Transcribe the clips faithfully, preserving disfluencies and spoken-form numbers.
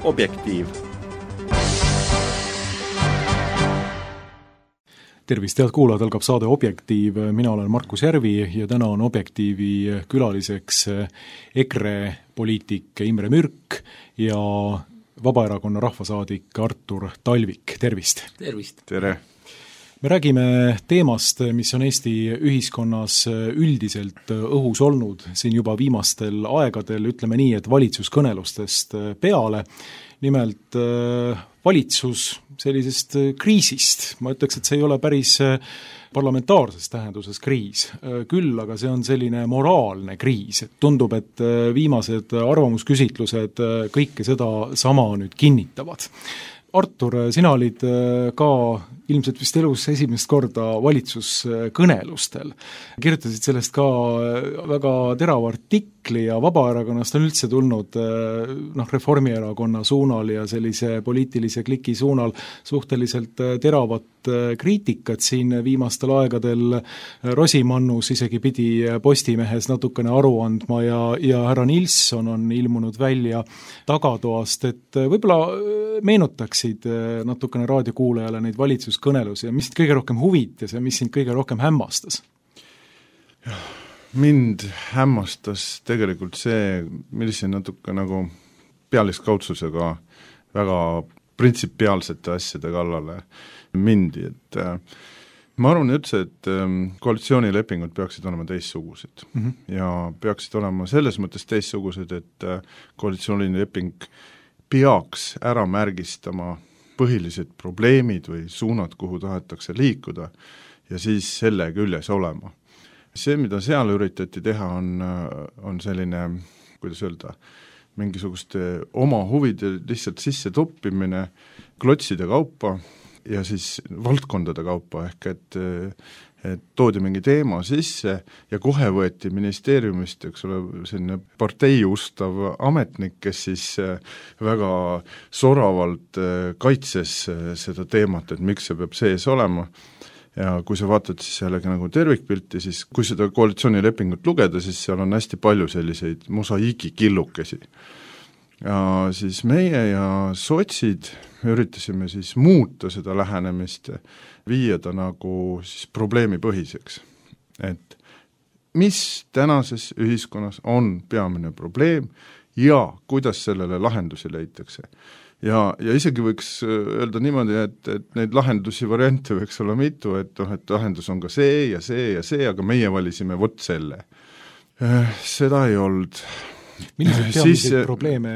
Objektiiv. Tervist, head kuulajad, algab saade Objektiiv. Mina olen Markus Järvi ja täna on Objektiivi külaliseks EKRE poliitik Imre Mürk ja Vabaerakonna rahvasaadik Artur Talvik. Tervist! Tervist! Tere! Me räägime teemast, mis on Eesti ühiskonnas üldiselt õhus olnud siin juba viimastel aegadel, ütleme nii, et valitsuskõnelustest peale. Nimelt valitsus sellisest kriisist, ma ütleks, et see ei ole päris parlamentaarses tähenduses kriis, küll aga see on selline moraalne kriis, et tundub, et viimased arvamusküsitlused kõike seda sama nüüd kinnitavad. Artur, sina olid ka ilmselt vist elus esimest korda valitsuskõnelustel. Kirjutasid sellest ka väga terava artikli ja Vabaerakonnast on üldse tulnud noh, Reformierakonna suunal ja sellise poliitilise kliki suunal suhteliselt teravat kriitikat siin viimastel aegadel. Rosimannus isegi pidi Postimehes natukene aru andma ja, ja härra Nilsson on ilmunud välja tagatoast, et võib-olla meenutaksid natukene raadiokuulajale neid valitsuskõnelusi ja mis sind kõige rohkem huvitas ja mis sind kõige rohkem hämmastas? Mind hämmastas tegelikult see, millise natuke nagu pealiskaudsusega väga printsipiaalsete asjade kallale mindi, et äh, ma arvan üldse, et äh, koalitsioonilepingud peaksid olema teistsugused mm -hmm. ja peaksid olema selles mõttes teistsugused, et äh, koalitsioonileping peaks ära märgistama põhilised probleemid või suunad, kuhu tahetakse liikuda ja siis selle küljes olema. See, mida seal üritati teha, on, on selline, kuidas öelda, mingisuguste oma huvide lihtsalt sisse toppimine klotside kaupa ja siis valdkondade kaupa, ehk et, et toodi mingi teema sisse ja kohe võeti ministeeriumist, eks ole, selline parteiustav ametnik, kes siis väga soravalt kaitses seda teemat, et miks see peab sees olema. Ja kui sa vaatad siis jällegi nagu tervikpilti, siis kui seda koalitsioonilepingut lugeda, siis seal on hästi palju selliseid mosaiigikillukesi. Ja siis meie ja sotsid üritasime siis muuta seda lähenemist, viia ta nagu siis probleemipõhiseks. Et mis tänases ühiskonnas on peamine probleem ja kuidas sellele lahendusi leitakse. Ja, ja isegi võiks öelda niimoodi, et, et neid lahendusi variante võiks olla mitu, et, et lahendus on ka see ja see ja see, aga meie valisime vot selle. Seda ei olnud. Millised peamiseid siis, probleeme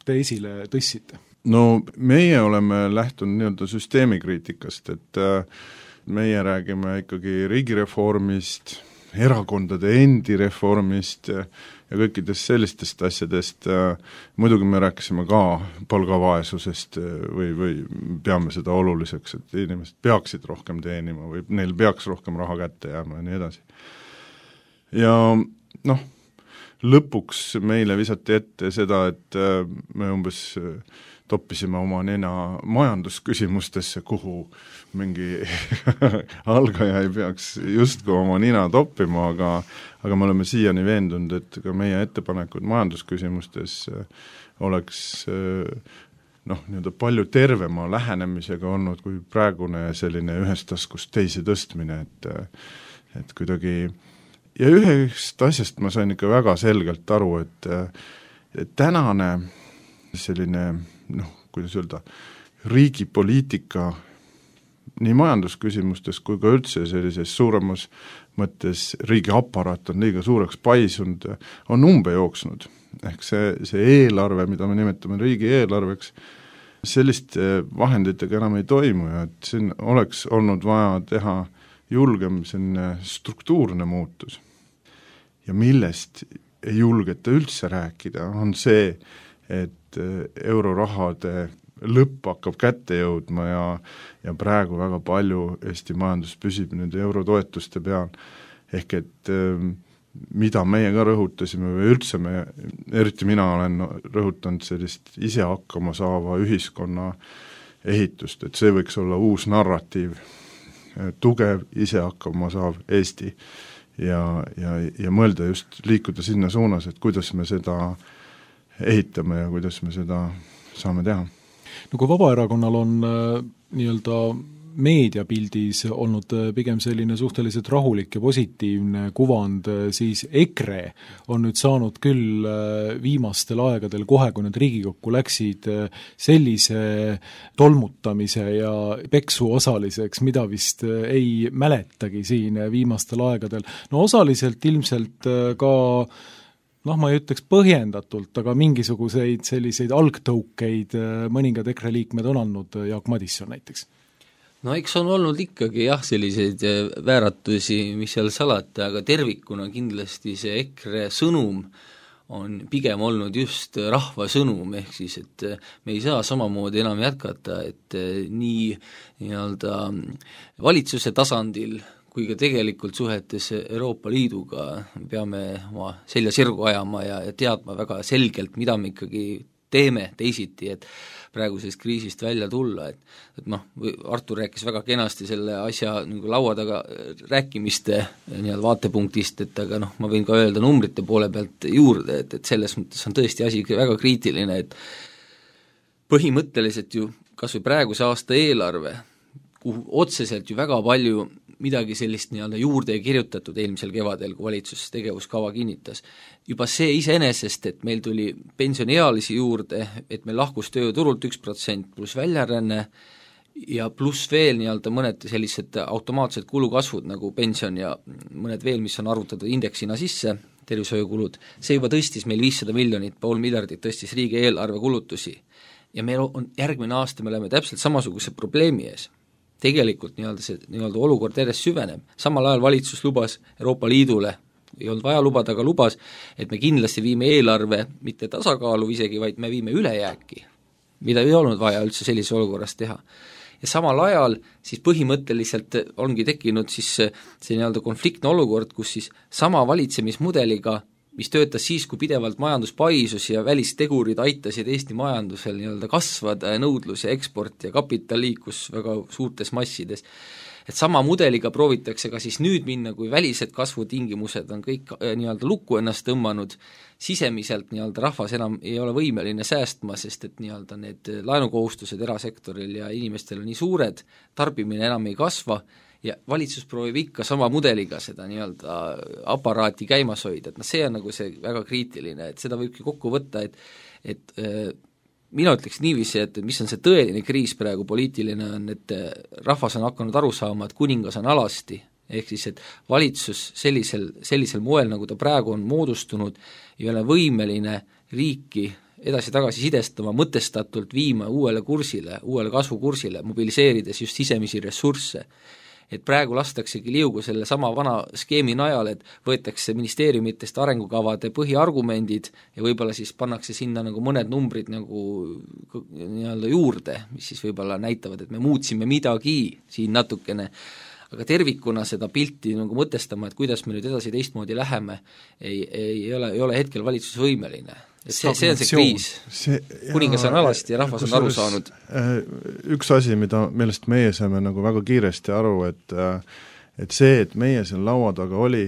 te esile tõssite? No meie oleme lähtunud nii-öelda süsteemikriitikast, et meie räägime ikkagi riigireformist, erakondade endi reformist ja kõikidest sellistest asjadest. Muidugi me rääkisime ka palgavaesusest või, või peame seda oluliseks, et inimesed peaksid rohkem teenima või neil peaks rohkem raha kätte jääma ja nii edasi. Ja noh, lõpuks meile visati ette seda, et me umbes toppisime oma nena majandusküsimustesse, kuhu mingi algaja ei peaks justkui oma nina toppima, aga, aga me oleme siiani veendunud, et ka meie ettepanekud majandusküsimustes oleks noh, nii-öelda palju tervema lähenemisega olnud kui praegune selline ühest taskust teisi tõstmine, et, et kuidagi ja ühest asjast ma sain ikka väga selgelt aru, et, et tänane selline, noh, kuidas öelda, riigipoliitika nii majandusküsimustes kui ka üldse sellises suuremas mõttes riigi aparaat on liiga suureks paisunud, on umbe jooksnud. Ehk see, see eelarve, mida me nimetame riigi eelarveks, selliste vahenditega enam ei toimu ja et siin oleks olnud vaja teha julgem selline struktuurne muutus. Ja millest ei julgeta üldse rääkida, on see, et eurorahade lõpp hakkab kätte jõudma ja, ja praegu väga palju Eesti majandus püsib nende eurotoetuste peal. Ehk et mida meie ka rõhutasime või üldse me, eriti mina olen rõhutanud sellist ise hakkama saava ühiskonna ehitust, et see võiks olla uus narratiiv, tugev, ise hakkama saav Eesti ja, ja, ja mõelda just liikuda sinna suunas, et kuidas me seda ehitame ja kuidas me seda saame teha. No kui Vabaerakonnal on äh, nii-öelda meediapildis olnud pigem selline suhteliselt rahulik ja positiivne kuvand, siis EKRE on nüüd saanud küll viimastel aegadel kohe, kui nad Riigikokku läksid, sellise tolmutamise ja peksu osaliseks, mida vist ei mäletagi siin viimastel aegadel. No osaliselt ilmselt ka noh, ma ei ütleks põhjendatult, aga mingisuguseid selliseid algtõukeid mõningad EKRE liikmed on andnud, Jaak Madisson näiteks. No eks on olnud ikkagi jah, selliseid vääratusi, mis seal salata, aga tervikuna kindlasti see EKRE sõnum on pigem olnud just rahva sõnum, ehk siis, et me ei saa samamoodi enam jätkata, et nii nii-öelda valitsuse tasandil kui ka tegelikult suhetes Euroopa Liiduga peame oma selja sirgu ajama ja, ja teadma väga selgelt, mida me ikkagi teeme teisiti, et praegusest kriisist välja tulla, et, et noh, Artur rääkis väga kenasti selle asja nagu laua taga rääkimiste nii-öelda vaatepunktist, et aga noh, ma võin ka öelda numbrite poole pealt juurde, et, et selles mõttes on tõesti asi väga kriitiline, et põhimõtteliselt ju kas või praeguse aasta eelarve, kuhu otseselt ju väga palju midagi sellist nii-öelda juurde ei kirjutatud eelmisel kevadel, kui valitsus tegevuskava kinnitas. Juba see iseenesest, et meil tuli pensioniealisi juurde, et meil lahkus tööturult üks protsent pluss väljaränne ja pluss veel nii-öelda mõned sellised automaatsed kulukasvud nagu pension ja mõned veel, mis on arvutatud indeksina sisse, tervishoiukulud, see juba tõstis meil viissada miljonit, pool miljardit tõstis riigi eelarve kulutusi. Ja meil on järgmine aasta, me oleme täpselt samasuguse probleemi ees. Tegelikult nii-öelda see nii-öelda olukord järjest süveneb. Samal ajal valitsus lubas Euroopa Liidule, ei olnud vaja lubada, aga lubas, et me kindlasti viime eelarve mitte tasakaalu isegi, vaid me viime ülejääki, mida ei olnud vaja üldse sellises olukorras teha. Ja samal ajal siis põhimõtteliselt ongi tekkinud siis see nii-öelda konfliktne olukord, kus siis sama valitsemismudeliga, mis töötas siis, kui pidevalt majandus paisus ja välistegurid aitasid Eesti majandusel nii-öelda kasvada ja nõudlus ja eksport ja kapital liikus väga suurtes massides. Et sama mudeliga proovitakse ka siis nüüd minna, kui välised kasvutingimused on kõik nii-öelda lukku ennast tõmmanud, sisemiselt nii-öelda rahvas enam ei ole võimeline säästma, sest et nii-öelda need laenukohustused erasektoril ja inimestel on nii suured, tarbimine enam ei kasva, ja valitsus proovib ikka sama mudeliga seda nii-öelda aparaati käimas hoida, et noh, see on nagu see väga kriitiline, et seda võibki kokku võtta, et et äh, mina ütleks niiviisi, et mis on see tõeline kriis praegu poliitiline on, et rahvas on hakanud aru saama, et kuningas on alasti, ehk siis, et valitsus sellisel, sellisel moel, nagu ta praegu on moodustunud, ei ole võimeline riiki edasi-tagasi sidestama, mõtestatult viima uuele kursile, uuele kasvukursile, mobiliseerides just sisemisi ressursse. Et praegu lastaksegi liugu selle sama vana skeemi najal, et võetakse ministeeriumitest arengukavade põhiargumendid ja võib-olla siis pannakse sinna nagu mõned numbrid nagu nii-öelda juurde, mis siis võib-olla näitavad, et me muutsime midagi siin natukene, aga tervikuna seda pilti nagu mõtestama, et kuidas me nüüd edasi teistmoodi läheme, ei, ei, ole, ei ole hetkel valitsus võimeline. Et see, see on see kriis, kuningas on alasti ja rahvas on aru saanud. Üks asi, mida millest meie saime nagu väga kiiresti aru, et, et see, et meie seal laua taga oli,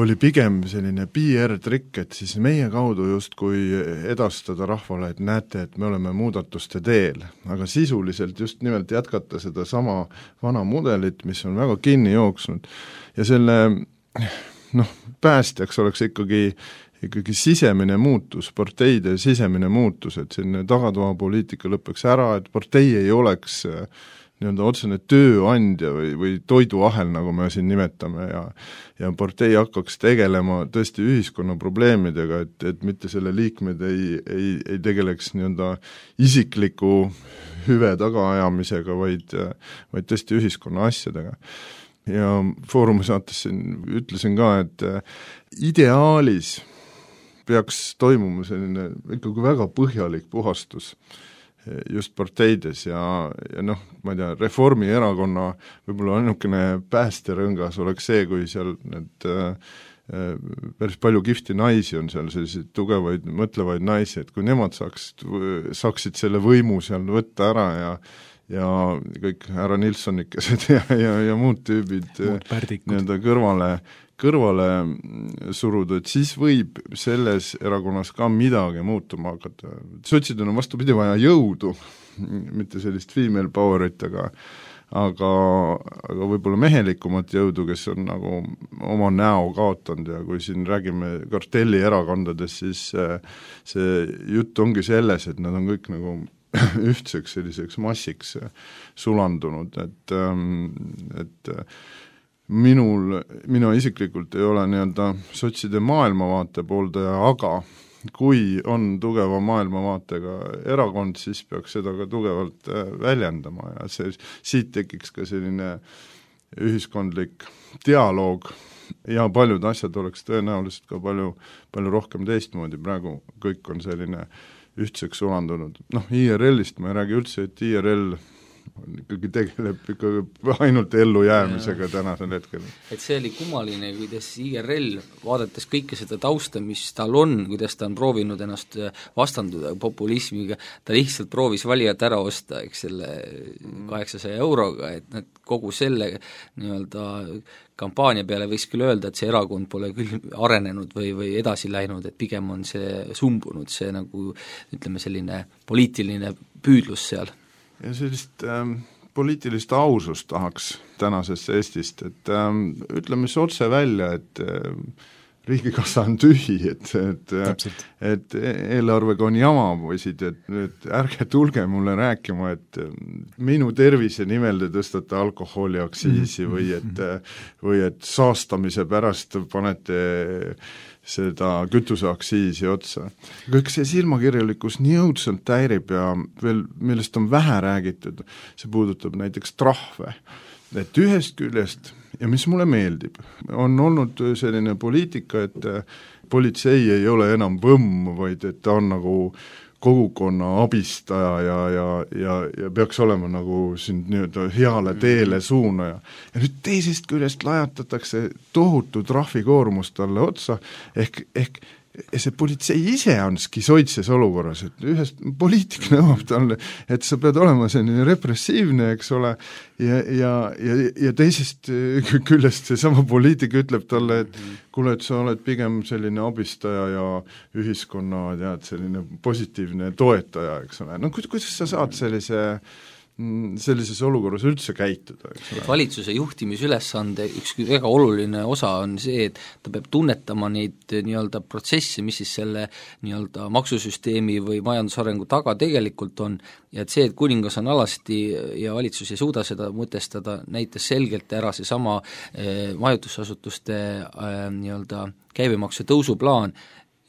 oli pigem selline P R-trikk, et siis meie kaudu just kui edastada rahvale, et näete, et me oleme muudatuste teel, aga sisuliselt just nimelt jätkata seda sama vana mudelit, mis on väga kinni jooksnud ja selle noh, päästjaks oleks ikkagi ikkagi sisemine muutus, parteide sisemine muutus, et selline tagatoapoliitika lõpeks ära, et partei ei oleks nii-öelda otsene tööandja või, või toiduahel, nagu me siin nimetame, ja ja partei hakkaks tegelema tõesti ühiskonna probleemidega, et, et mitte selle liikmed ei, ei, ei tegeleks nii-öelda isikliku hüve tagaajamisega, vaid, vaid tõesti ühiskonna asjadega. Ja Foorumi saates siin ütlesin ka, et ideaalis peaks toimuma selline ikkagi väga põhjalik puhastus just parteides ja, ja noh, ma ei tea, Reformierakonna võib-olla ainukene päästerõngas oleks see, kui seal need päris palju kihvti naisi on seal, selliseid tugevaid, mõtlevaid naisi, et kui nemad saaksid, saaksid selle võimu seal võtta ära ja ja kõik härra Nilssonikesed ja, ja, ja muud tüübid nii-öelda kõrvale, kõrvale suruda, et siis võib selles erakonnas ka midagi muutuma hakata. Sotsidel on vastupidi vaja jõudu, mitte sellist female powerit, aga aga, aga võib-olla mehelikumat jõudu, kes on nagu oma näo kaotanud ja kui siin räägime kartelli erakondades, siis see jutt ongi selles, et nad on kõik nagu ühtseks selliseks massiks sulandunud, et, et minul, mina isiklikult ei ole nii-öelda sotside maailmavaate pooldaja, aga kui on tugeva maailmavaatega erakond, siis peaks seda ka tugevalt väljendama ja see, siit tekiks ka selline ühiskondlik dialoog ja paljud asjad oleks tõenäoliselt ka palju, palju rohkem teistmoodi, praegu kõik on selline ühtseks sulandunud. Noh, I R L-ist ma ei räägi üldse, et I R L ikkagi tegeleb ikkagi ainult ellujäämisega tänasel hetkel. Et see oli kummaline, kuidas I R L, vaadates kõike seda tausta, mis tal on, kuidas ta on proovinud ennast vastanduda populismiga, ta lihtsalt proovis valijat ära osta, eks selle kaheksasaja euroga, et nad kogu selle nii-öelda kampaania peale võiks küll öelda, et see erakond pole küll arenenud või, või edasi läinud, et pigem on see sumbunud, see nagu ütleme selline poliitiline püüdlus seal. Ja sellist ähm, poliitilist ausust tahaks tänasest Eestist, et ähm, ütleme siis otse välja, et ähm, riigikassa on tühi, et, et, et eelarvega on jama, poisid, et, et ärge tulge mulle rääkima, et minu tervise nimel te tõstate alkoholiaktsiisi või et, või et saastamise pärast panete seda kütuseaktsiisi otsa. Kõik see silmakirjalikkus nii õudselt häirib ja veel, millest on vähe räägitud, see puudutab näiteks trahve. Et ühest küljest, ja mis mulle meeldib, on olnud selline poliitika, et politsei ei ole enam võmm, vaid et ta on nagu kogukonna abistaja ja, ja, ja, ja peaks olema nagu siin nii-öelda heale teele suunaja. Ja nüüd teisest küljest lajatatakse tohutu trahvikoormust talle otsa, ehk, ehk see politsei ise on skisoidses olukorras, et ühest poliitik nõuab talle, et sa pead olema selline repressiivne, eks ole, ja, ja, ja, ja teisest küljest see sama poliitik ütleb talle, et kuule, et sa oled pigem selline abistaja ja ühiskonna, tead, selline positiivne toetaja, eks ole. No kuidas sa saad sellise sellises olukorras üldse käituda. Valitsuse juhtimisülesande üks väga oluline osa on see, et ta peab tunnetama neid nii-öelda protsesse, mis siis selle nii-öelda maksusüsteemi või majandusarengu taga tegelikult on, ja et see, et kuningas on alasti ja valitsus ei suuda seda mõtestada, näitas selgelt ära see sama eh, majutusasutuste eh, nii-öelda käibemaksu tõusuplaan,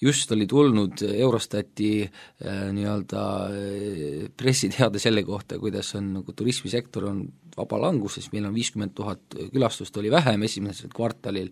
just oli tulnud Eurostati äh, nii-öelda äh, pressiteade selle kohta, kuidas on nagu turismisektor on vaba languses, meil on viiskümmend tuhat külastust oli vähem esimesel kvartalil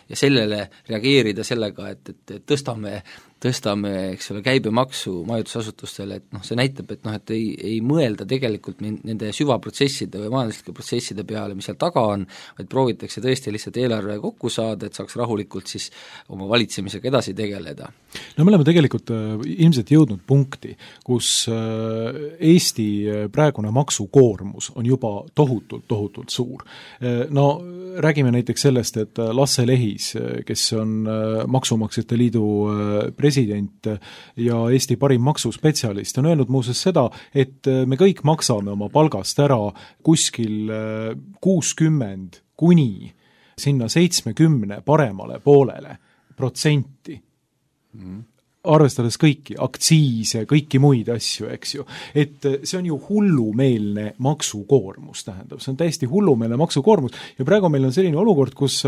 ja sellele reageerida sellega, et, et, et tõstame, tõstame, eks ole, käibemaksu majutusasutustele, et noh, see näitab, et noh, et ei, ei mõelda tegelikult nende süvaprotsesside või majanduslike protsesside peale, mis seal taga on, vaid proovitakse tõesti lihtsalt eelarve kokku saada, et saaks rahulikult siis oma valitsemisega edasi tegeleda. No me oleme tegelikult äh, ilmselt jõudnud punkti, kus äh, Eesti praegune maksukoormus on juba tohutult, tohutult suur. Äh, no räägime näiteks sellest, et Lasse Lehis, kes on äh, Maksumaksjate Liidu äh, president ja Eesti parim maksuspetsialist, on öelnud muuseas seda, et me kõik maksame oma palgast ära kuskil äh, kuuskümmend kuni sinna seitsmekümne paremale poolele protsenti. Mm. arvestades kõiki, aktsiise, kõiki muid asju, eks ju. Et see on ju hullumeelne maksukoormus, tähendab, see on täiesti hullumeelne maksukoormus ja praegu meil on selline olukord, kus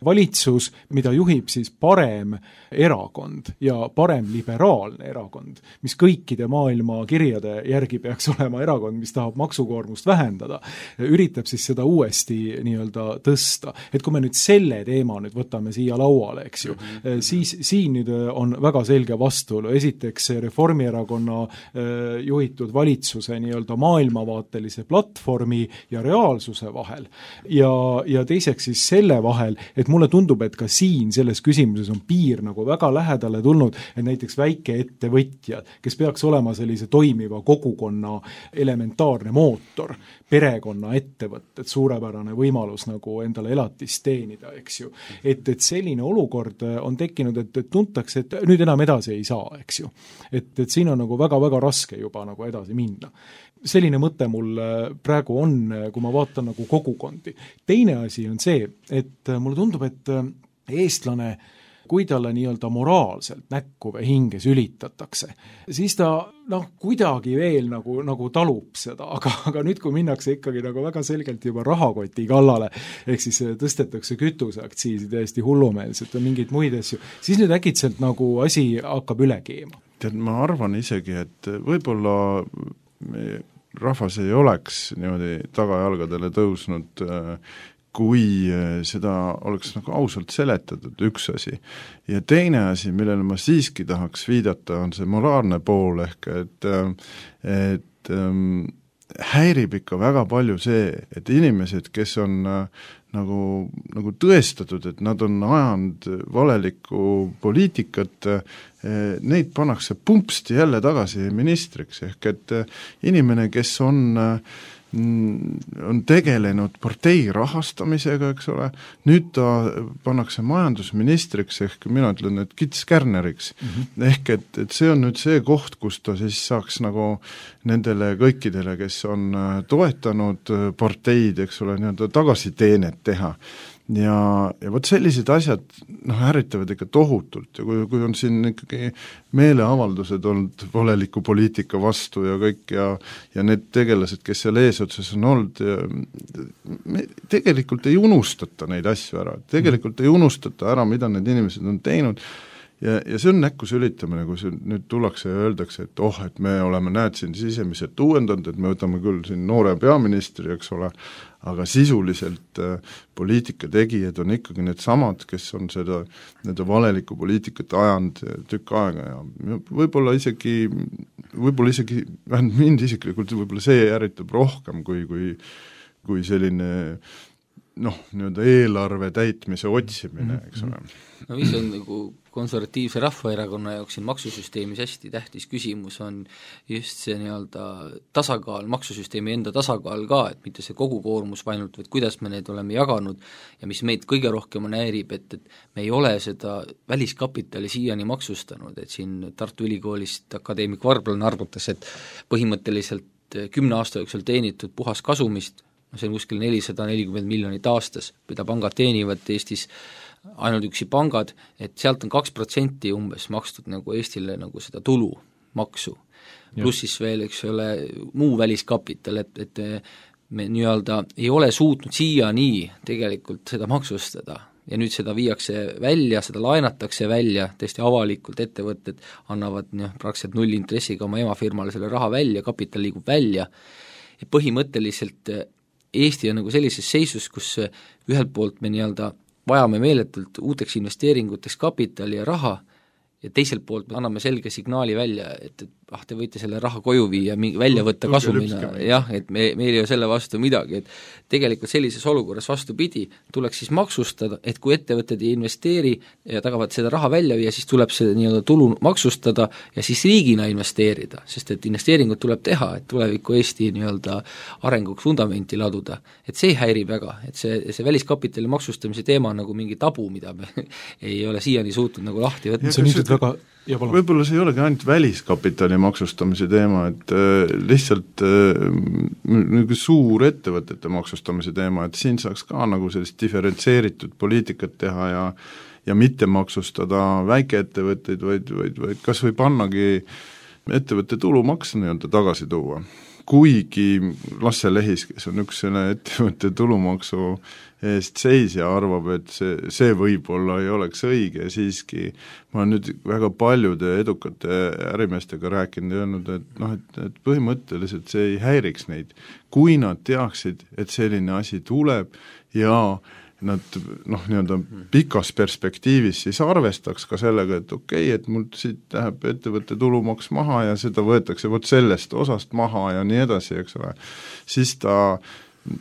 valitsus, mida juhib siis parem erakond ja parem liberaalne erakond, mis kõikide maailma kirjade järgi peaks olema erakond, mis tahab maksukoormust vähendada, üritab siis seda uuesti nii-öelda tõsta. Et kui me nüüd selle teema nüüd võtame siia lauale, eks ju, mm-hmm. siis siin nüüd on väga selge vastus vastuolu, esiteks Reformierakonna juhitud valitsuse nii-öelda maailmavaatelise platvormi ja reaalsuse vahel ja, ja teiseks siis selle vahel, et mulle tundub, et ka siin selles küsimuses on piir nagu väga lähedale tulnud, et näiteks väikeettevõtjad, kes peaks olema sellise toimiva kogukonna elementaarne mootor, perekonna ettevõtted, suurepärane võimalus nagu endale elatist teenida, eks ju. Et, et selline olukord on tekkinud, et, et tuntakse, et nüüd enam edasi ei saa, eks ju. Et, et siin on nagu väga-väga raske juba nagu edasi minna. Selline mõte mul praegu on, kui ma vaatan nagu kogukondi. Teine asi on see, et mulle tundub, et eestlane kui talle nii-öelda moraalselt näkku või hinge sülitatakse, siis ta noh, kuidagi veel nagu, nagu talub seda, aga, aga nüüd, kui minnakse ikkagi nagu väga selgelt juba rahakoti kallale, ehk siis tõstetakse kütuseaktsiisi täiesti hullumeelselt või mingeid muid asju, siis nüüd äkitselt nagu asi hakkab üle keema. Tead, ma arvan isegi, et võib-olla rahvas ei oleks niimoodi tagajalgadele tõusnud kui seda oleks nagu ausalt seletatud, üks asi. Ja teine asi, millele ma siiski tahaks viidata, on see moraalne pool, ehk et, et ähm, häirib ikka väga palju see, et inimesed, kes on äh, nagu, nagu tõestatud, et nad on ajanud valelikku poliitikat, äh, neid pannakse pumpsti jälle tagasi ministriks, ehk et äh, inimene, kes on äh, on tegelenud partei rahastamisega, eks ole, nüüd ta pannakse majandusministriks, ehk mina ütlen, et kitskärneriks. Mm-hmm. Ehk et, et see on nüüd see koht, kus ta siis saaks nagu nendele kõikidele, kes on toetanud parteid, eks ole, nii-öelda tagasiteenet teha. Ja, ja võt sellised asjad noh, ärritavad ikka tohutult ja kui, kui on siin ikkagi meeleavaldused olnud valeliku poliitika vastu ja kõik ja, ja need tegelased, kes seal eesotsas on olnud, me tegelikult ei unustata neid asju ära, tegelikult ei unustata ära, mida need inimesed on teinud ja, ja see on näkku sülitamine, kui see nüüd tullakse ja öeldakse, et oh, et me oleme näed siin sisemiselt uuendanud, et me võtame küll siin noore peaministri, eks ole, aga sisuliselt äh, poliitika tegijad on ikkagi need samad, kes on seda nende valeliku poliitikat ajanud tükk aega ja võib-olla isegi, võib-olla isegi, vähemalt mind isiklikult võib-olla see ärritab rohkem kui, kui, kui selline noh, nii-öelda eelarve täitmise otsimine, eks ole. No mis on nagu konservatiivse rahvaerakonna jaoks siin maksusüsteemis hästi tähtis küsimus on just see nii-öelda tasakaal, maksusüsteemi enda tasakaal ka, et mitte see kogukoormus ainult, vaid kuidas me need oleme jaganud ja mis meid kõige rohkem on häirib, et, et me ei ole seda väliskapitali siiani maksustanud, et siin Tartu Ülikoolist akadeemik Varblan arvutas, et põhimõtteliselt kümne aasta jooksul teenitud puhas kasumist, no see on kuskil nelisada nelikümmend miljonit aastas, mida pangad teenivad Eestis, ainult üksi pangad, et sealt on kaks protsenti umbes makstud nagu Eestile nagu seda tulu, maksu. Pluss siis veel, eks ole, muu väliskapital, et, et me nii-öelda ei ole suutnud siiani tegelikult seda maksustada ja nüüd seda viiakse välja, seda laenatakse välja, tõesti avalikult ettevõtted annavad noh, praktiliselt nullintressiga oma emafirmale selle raha välja, kapital liigub välja ja põhimõtteliselt Eesti on nagu sellises seisus, kus ühelt poolt me nii-öelda vajame meeletult uuteks investeeringuteks kapitali ja raha ja teiselt poolt me anname selge signaali välja, et, et ah, te võite selle raha koju viia, välja võtta kasumina, jah, et me, meil ei ole selle vastu midagi, et tegelikult sellises olukorras vastupidi, tuleks siis maksustada, et kui ettevõtted ei investeeri ja tagavad seda raha välja viia, siis tuleb see nii-öelda tulu maksustada ja siis riigina investeerida, sest et investeeringud tuleb teha, et tuleviku Eesti nii-öelda arenguks fundamenti laduda. Et see häirib väga, et see, see väliskapitali maksustamise teema on nagu mingi tabu, mida me ei ole siiani suutnud nagu lahti võtta. See on ilmselt väga võib-olla see ei olegi ainult väliskapitali maksustamise teema, et äh, lihtsalt äh, suur ettevõtete maksustamise teema, et siin saaks ka nagu sellist diferentseeritud poliitikat teha ja ja mitte maksustada väikeettevõtteid, vaid, vaid, vaid kas või pannagi ettevõtte tulumaks nii-öelda tagasi tuua. Kuigi Lasse Lehis, kes on üks selle ettevõtte tulumaksu eest seisja, arvab, et see, see võib-olla ei oleks õige, siiski ma olen nüüd väga paljude edukate ärimeestega rääkinud ja öelnud, et, noh, et, et põhimõtteliselt see ei häiriks neid, kui nad teaksid, et selline asi tuleb ja nad noh, nii-öelda pikas perspektiivis siis arvestaks ka sellega, et okei okay,, et mul siit läheb ettevõtte tulumaks maha ja seda võetakse vot sellest osast maha ja nii edasi, eks ole, siis ta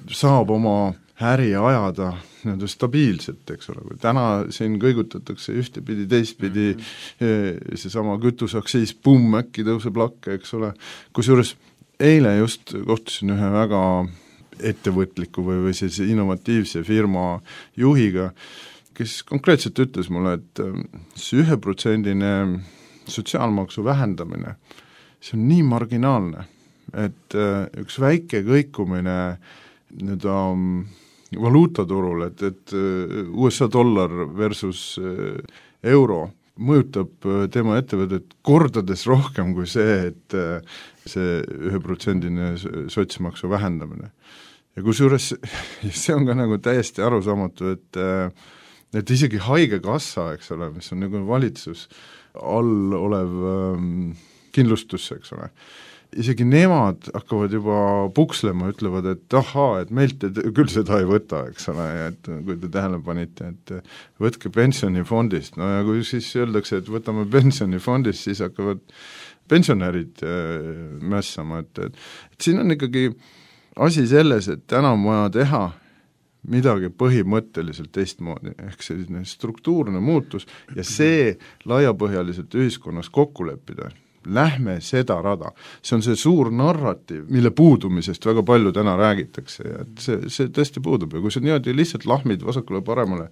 saab oma äri ajada nii-öelda stabiilselt, eks ole, kui täna siin kõigutatakse ühtepidi, teistpidi mm-hmm. seesama kütuseaktsiis, pumm, äkki tõuseb lakke, eks ole, kusjuures eile just kohtusin ühe väga ettevõtliku või, või sellise innovatiivse firma juhiga, kes konkreetselt ütles mulle, et see üheprotsendine sotsiaalmaksu vähendamine, see on nii marginaalne, et üks väike kõikumine nii-öelda valuutaturul, et, et U S A dollar versus euro mõjutab tema ettevõtet kordades rohkem kui see, et see üheprotsendine sotsmaksu vähendamine. Ja kusjuures see on ka nagu täiesti arusaamatu, et, et isegi haigekassa, eks ole, mis on nagu valitsus all olev kindlustus, eks ole, isegi nemad hakkavad juba pukslema, ütlevad, et ahaa, et meilt te küll seda ei võta, eks ole, et kui te tähele panite, et võtke pensionifondist, no ja kui siis öeldakse, et võtame pensionifondist, siis hakkavad pensionärid mässama, et, et, et siin on ikkagi asi selles, et täna on vaja teha midagi põhimõtteliselt teistmoodi, ehk selline struktuurne muutus ja see laiapõhjaliselt ühiskonnas kokku leppida. Lähme seda rada. See on see suur narratiiv, mille puudumisest väga palju täna räägitakse ja et see, see tõesti puudub ja kui see niimoodi lihtsalt lahmid vasakule paremale,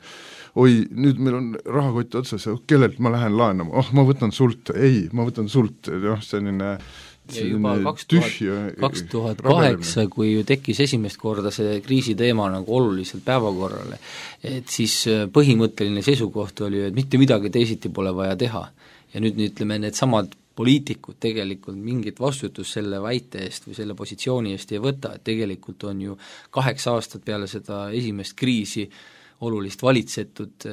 oi, nüüd meil on rahakott otsas, kellelt ma lähen laenama, oh, ma võtan sult, ei, ma võtan sult, noh, selline ja juba kaks tuhat kaheksa, kui ju tekkis esimest korda see kriisiteema nagu oluliselt päevakorrale, et siis põhimõtteline seisukoht oli, et mitte midagi teisiti pole vaja teha. Ja nüüd ütleme, need samad poliitikud tegelikult mingit vastutust selle väite eest või selle positsiooni eest ei võta, et tegelikult on ju kaheksa aastat peale seda esimest kriisi olulist valitsetud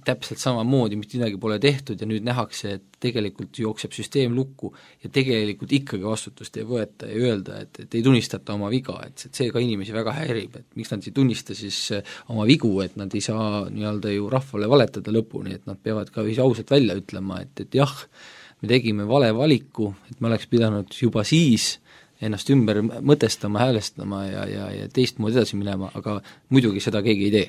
täpselt samamoodi, mitte midagi pole tehtud ja nüüd nähakse, et tegelikult jookseb süsteem lukku ja tegelikult ikkagi vastutust ei võeta ja öelda, et, et ei tunnistata oma viga, et see ka inimesi väga häirib, et miks nad ei tunnista siis oma vigu, et nad ei saa nii-öelda ju rahvale valetada lõpuni, et nad peavad ka ausalt välja ütlema, et, et jah, me tegime vale valiku, et me oleks pidanud juba siis ennast ümber mõtestama, häälestama ja, ja, ja teistmoodi edasi minema, aga muidugi seda keegi ei tee.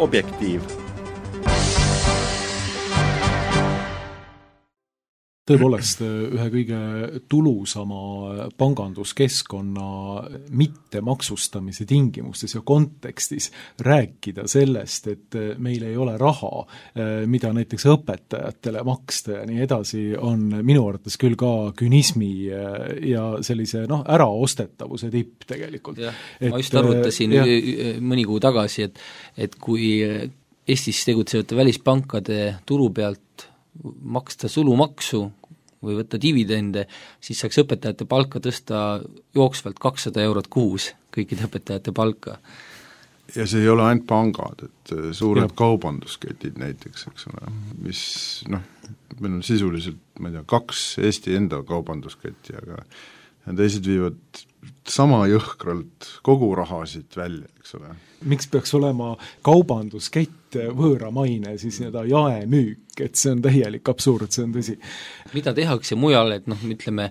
Objektiiv. Tõepoolest ühe kõige tulusama panganduskeskkonna mittemaksustamise tingimustes ja kontekstis rääkida sellest, et meil ei ole raha, mida näiteks õpetajatele maksta ja nii edasi, on minu arvates küll ka künismi ja sellise noh, äraostetavuse tipp tegelikult. Ja, ma just arvutasin ja, mõni kuu tagasi, et, et kui Eestis tegutsevate välispankade turu pealt maksta sulumaksu või võtta dividende, siis saaks õpetajate palka tõsta jooksvalt kakssada eurot kuus, kõikide õpetajate palka. ja see ei ole ainult pangad, et suured ja. kaubandusketid näiteks, eks ole, mis noh, meil on sisuliselt, ma ei tea, kaks Eesti enda kaubandusketti, aga ja teised viivad sama jõhkralt kogu rahasid välja, eks ole. Miks peaks olema kaubanduskett võõramaine, siis nii-öelda jaemüük, et see on täielik absurd, see on tõsi. Mida tehakse mujal, et noh, ütleme,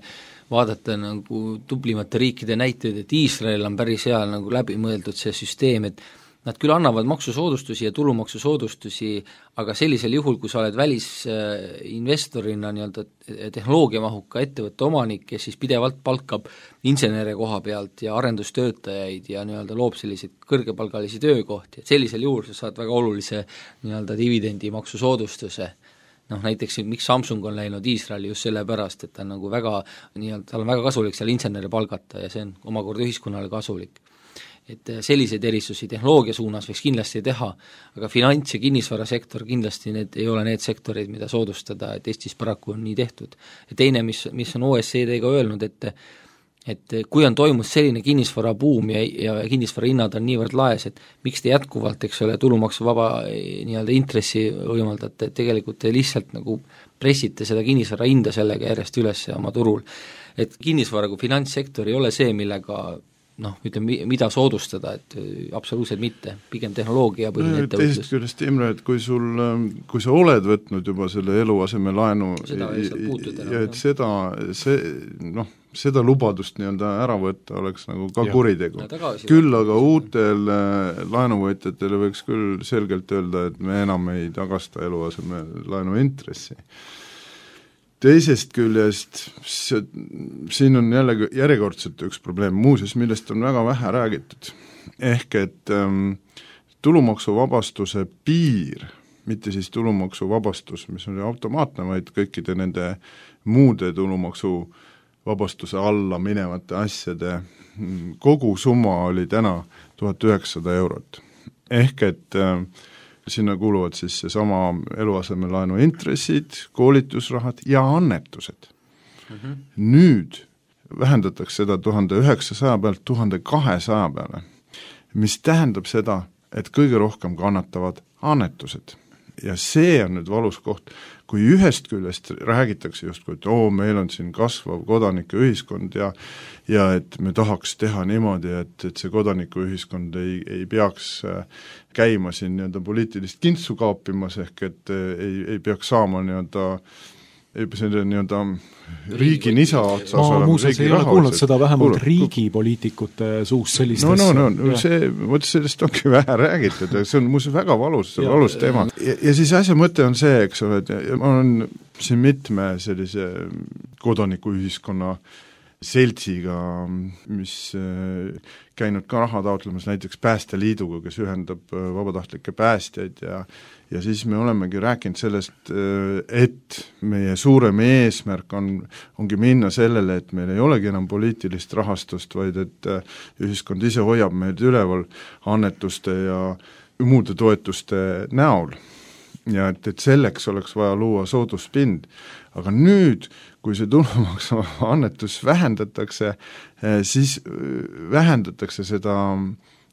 vaadata nagu tublimate riikide näiteid, et Iisrael on päris hea nagu läbi mõeldud see süsteem, et nad küll annavad maksusoodustusi ja tulumaksusoodustusi, aga sellisel juhul, kui sa oled välisinvestorina nii-öelda tehnoloogiamahuka ettevõtte omanik, kes siis pidevalt palkab insenere koha pealt ja arendustöötajaid ja nii-öelda loob selliseid kõrgepalgalisi töökohti, et sellisel juhul sa saad väga olulise nii-öelda dividendi maksusoodustuse. Noh, näiteks miks Samsung on läinud Iisraeli just selle pärast, et ta on nagu väga, nii-öelda, tal on väga kasulik seal insenere palgata ja see on omakorda ühiskonnale kasulik. Et selliseid erisusi tehnoloogia suunas võiks kindlasti teha, aga finants- ja kinnisvarasektor kindlasti need ei ole need sektorid, mida soodustada, et Eestis paraku on nii tehtud. Ja teine, mis, mis on O E C D-ga öelnud, et et kui on toimus selline kinnisvarabuum ja, ja kinnisvara hinnad on niivõrd laes, et miks te jätkuvalt, eks ole, tulumaksuvaba nii-öelda intressi võimaldate, et tegelikult te lihtsalt nagu pressite seda kinnisvara hinda sellega järjest üles oma turul. Et kinnisvara kui finantssektor ei ole see, millega noh, ütleme, mida soodustada, et absoluutselt mitte, pigem tehnoloogia põhiline ettevõtlus. Teisest küljest, Imre, et kui sul, kui sa oled võtnud juba selle eluaseme laenu seda ja, ja et seda, see, noh, seda lubadust nii-öelda ära võtta oleks nagu ka ja. kuritegu. Küll aga uutel laenuvõtjatele võiks küll selgelt öelda, et me enam ei tagasta eluaseme laenu intressi. Teisest küljest, see, siin on jälle järjekordselt üks probleem muuseas, millest on väga vähe räägitud. Ehk et ähm, tulumaksuvabastuse piir, mitte siis tulumaksuvabastus, mis on automaatne, vaid kõikide nende muude tulumaksuvabastuse alla minevate asjade kogu summa oli täna tuhat üheksasada eurot. Ehk et äh, sinna kuuluvad siis seesama eluasemelaenu intressid, koolitusrahad ja annetused. Mm-hmm. Nüüd vähendatakse seda tuhande üheksasaja pealt tuhande kahesaja peale, mis tähendab seda, et kõige rohkem kannatavad annetused. Ja see on nüüd valus koht, kui ühest küljest räägitakse justkui, et oo, meil on siin kasvav kodanikuühiskond ja ja et me tahaks teha niimoodi, et, et see kodanikuühiskond ei, ei peaks käima siin nii-öelda poliitilist kintsu kaapimas, ehk et ei, ei peaks saama nii-öelda selle nii-öelda riigi nisa otsas ma muuseas ei ole kuulnud seda vähemalt kuulnud. Riigipoliitikute suust sellist no, no, no, no see, võt sellest ongi vähe räägitud ja see on muuseas väga valus, see on valus teema. Ja, ja siis asja mõte on see, eks ole, et ma olen siin mitme sellise kodanikuühiskonna seltsiga, mis käinud ka raha taotlemas näiteks Päästeliiduga, kes ühendab vabatahtlikke päästjaid ja ja siis me olemegi rääkinud sellest, et meie suurem eesmärk on, ongi minna sellele, et meil ei olegi enam poliitilist rahastust, vaid et ühiskond ise hoiab meid üleval annetuste ja muude toetuste näol. Ja et, et selleks oleks vaja luua sooduspind. Aga nüüd, kui see tulumaksu annetus vähendatakse, siis vähendatakse seda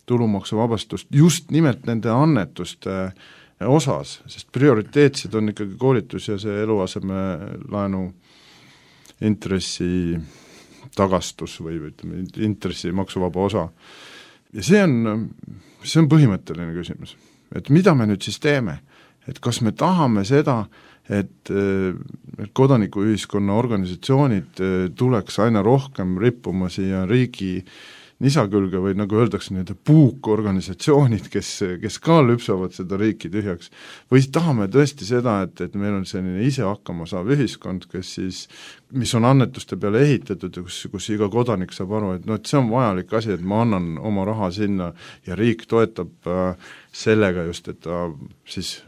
tulumaksuvabastust just nimelt nende annetuste osas, sest prioriteetsed on ikkagi koolitus ja see eluaseme laenu intressi tagastus või ütleme, intressi maksuvaba osa. Ja see on, see on põhimõtteline küsimus, et mida me nüüd siis teeme, et kas me tahame seda, et, et kodanikuühiskonna organisatsioonid tuleks aina rohkem rippuma siia riigi nisa külge või nagu öeldakse, need puukorganisatsioonid, kes, kes ka lüpsavad seda riiki tühjaks, või tahame tõesti seda, et, et meil on selline ise hakkama saav ühiskond, kes siis, mis on annetuste peale ehitatud ja kus, kus iga kodanik saab aru, et no et see on vajalik asi, et ma annan oma raha sinna ja riik toetab äh, sellega just, et ta siis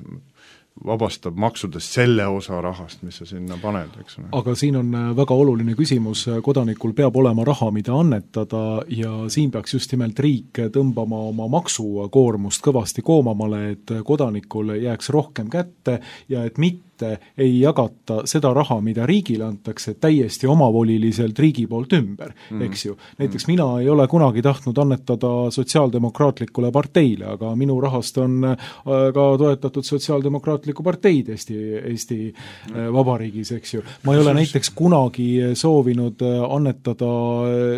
vabastab maksudest selle osa rahast, mis sa sinna paned, eks ole. Aga siin on väga oluline küsimus, kodanikul peab olema raha, mida annetada ja siin peaks just nimelt riik tõmbama oma maksukoormust kõvasti koomamale, et kodanikul jääks rohkem kätte ja et mitte mitte ei jagata seda raha, mida riigile antakse, täiesti omavoliliselt riigi poolt ümber, mm. eks ju. Näiteks mm. mina ei ole kunagi tahtnud annetada sotsiaaldemokraatlikule parteile, aga minu rahast on ka toetatud sotsiaaldemokraatlikku parteid Eesti, Eesti mm. vabariigis, eks ju. Ma ei ole näiteks kunagi soovinud annetada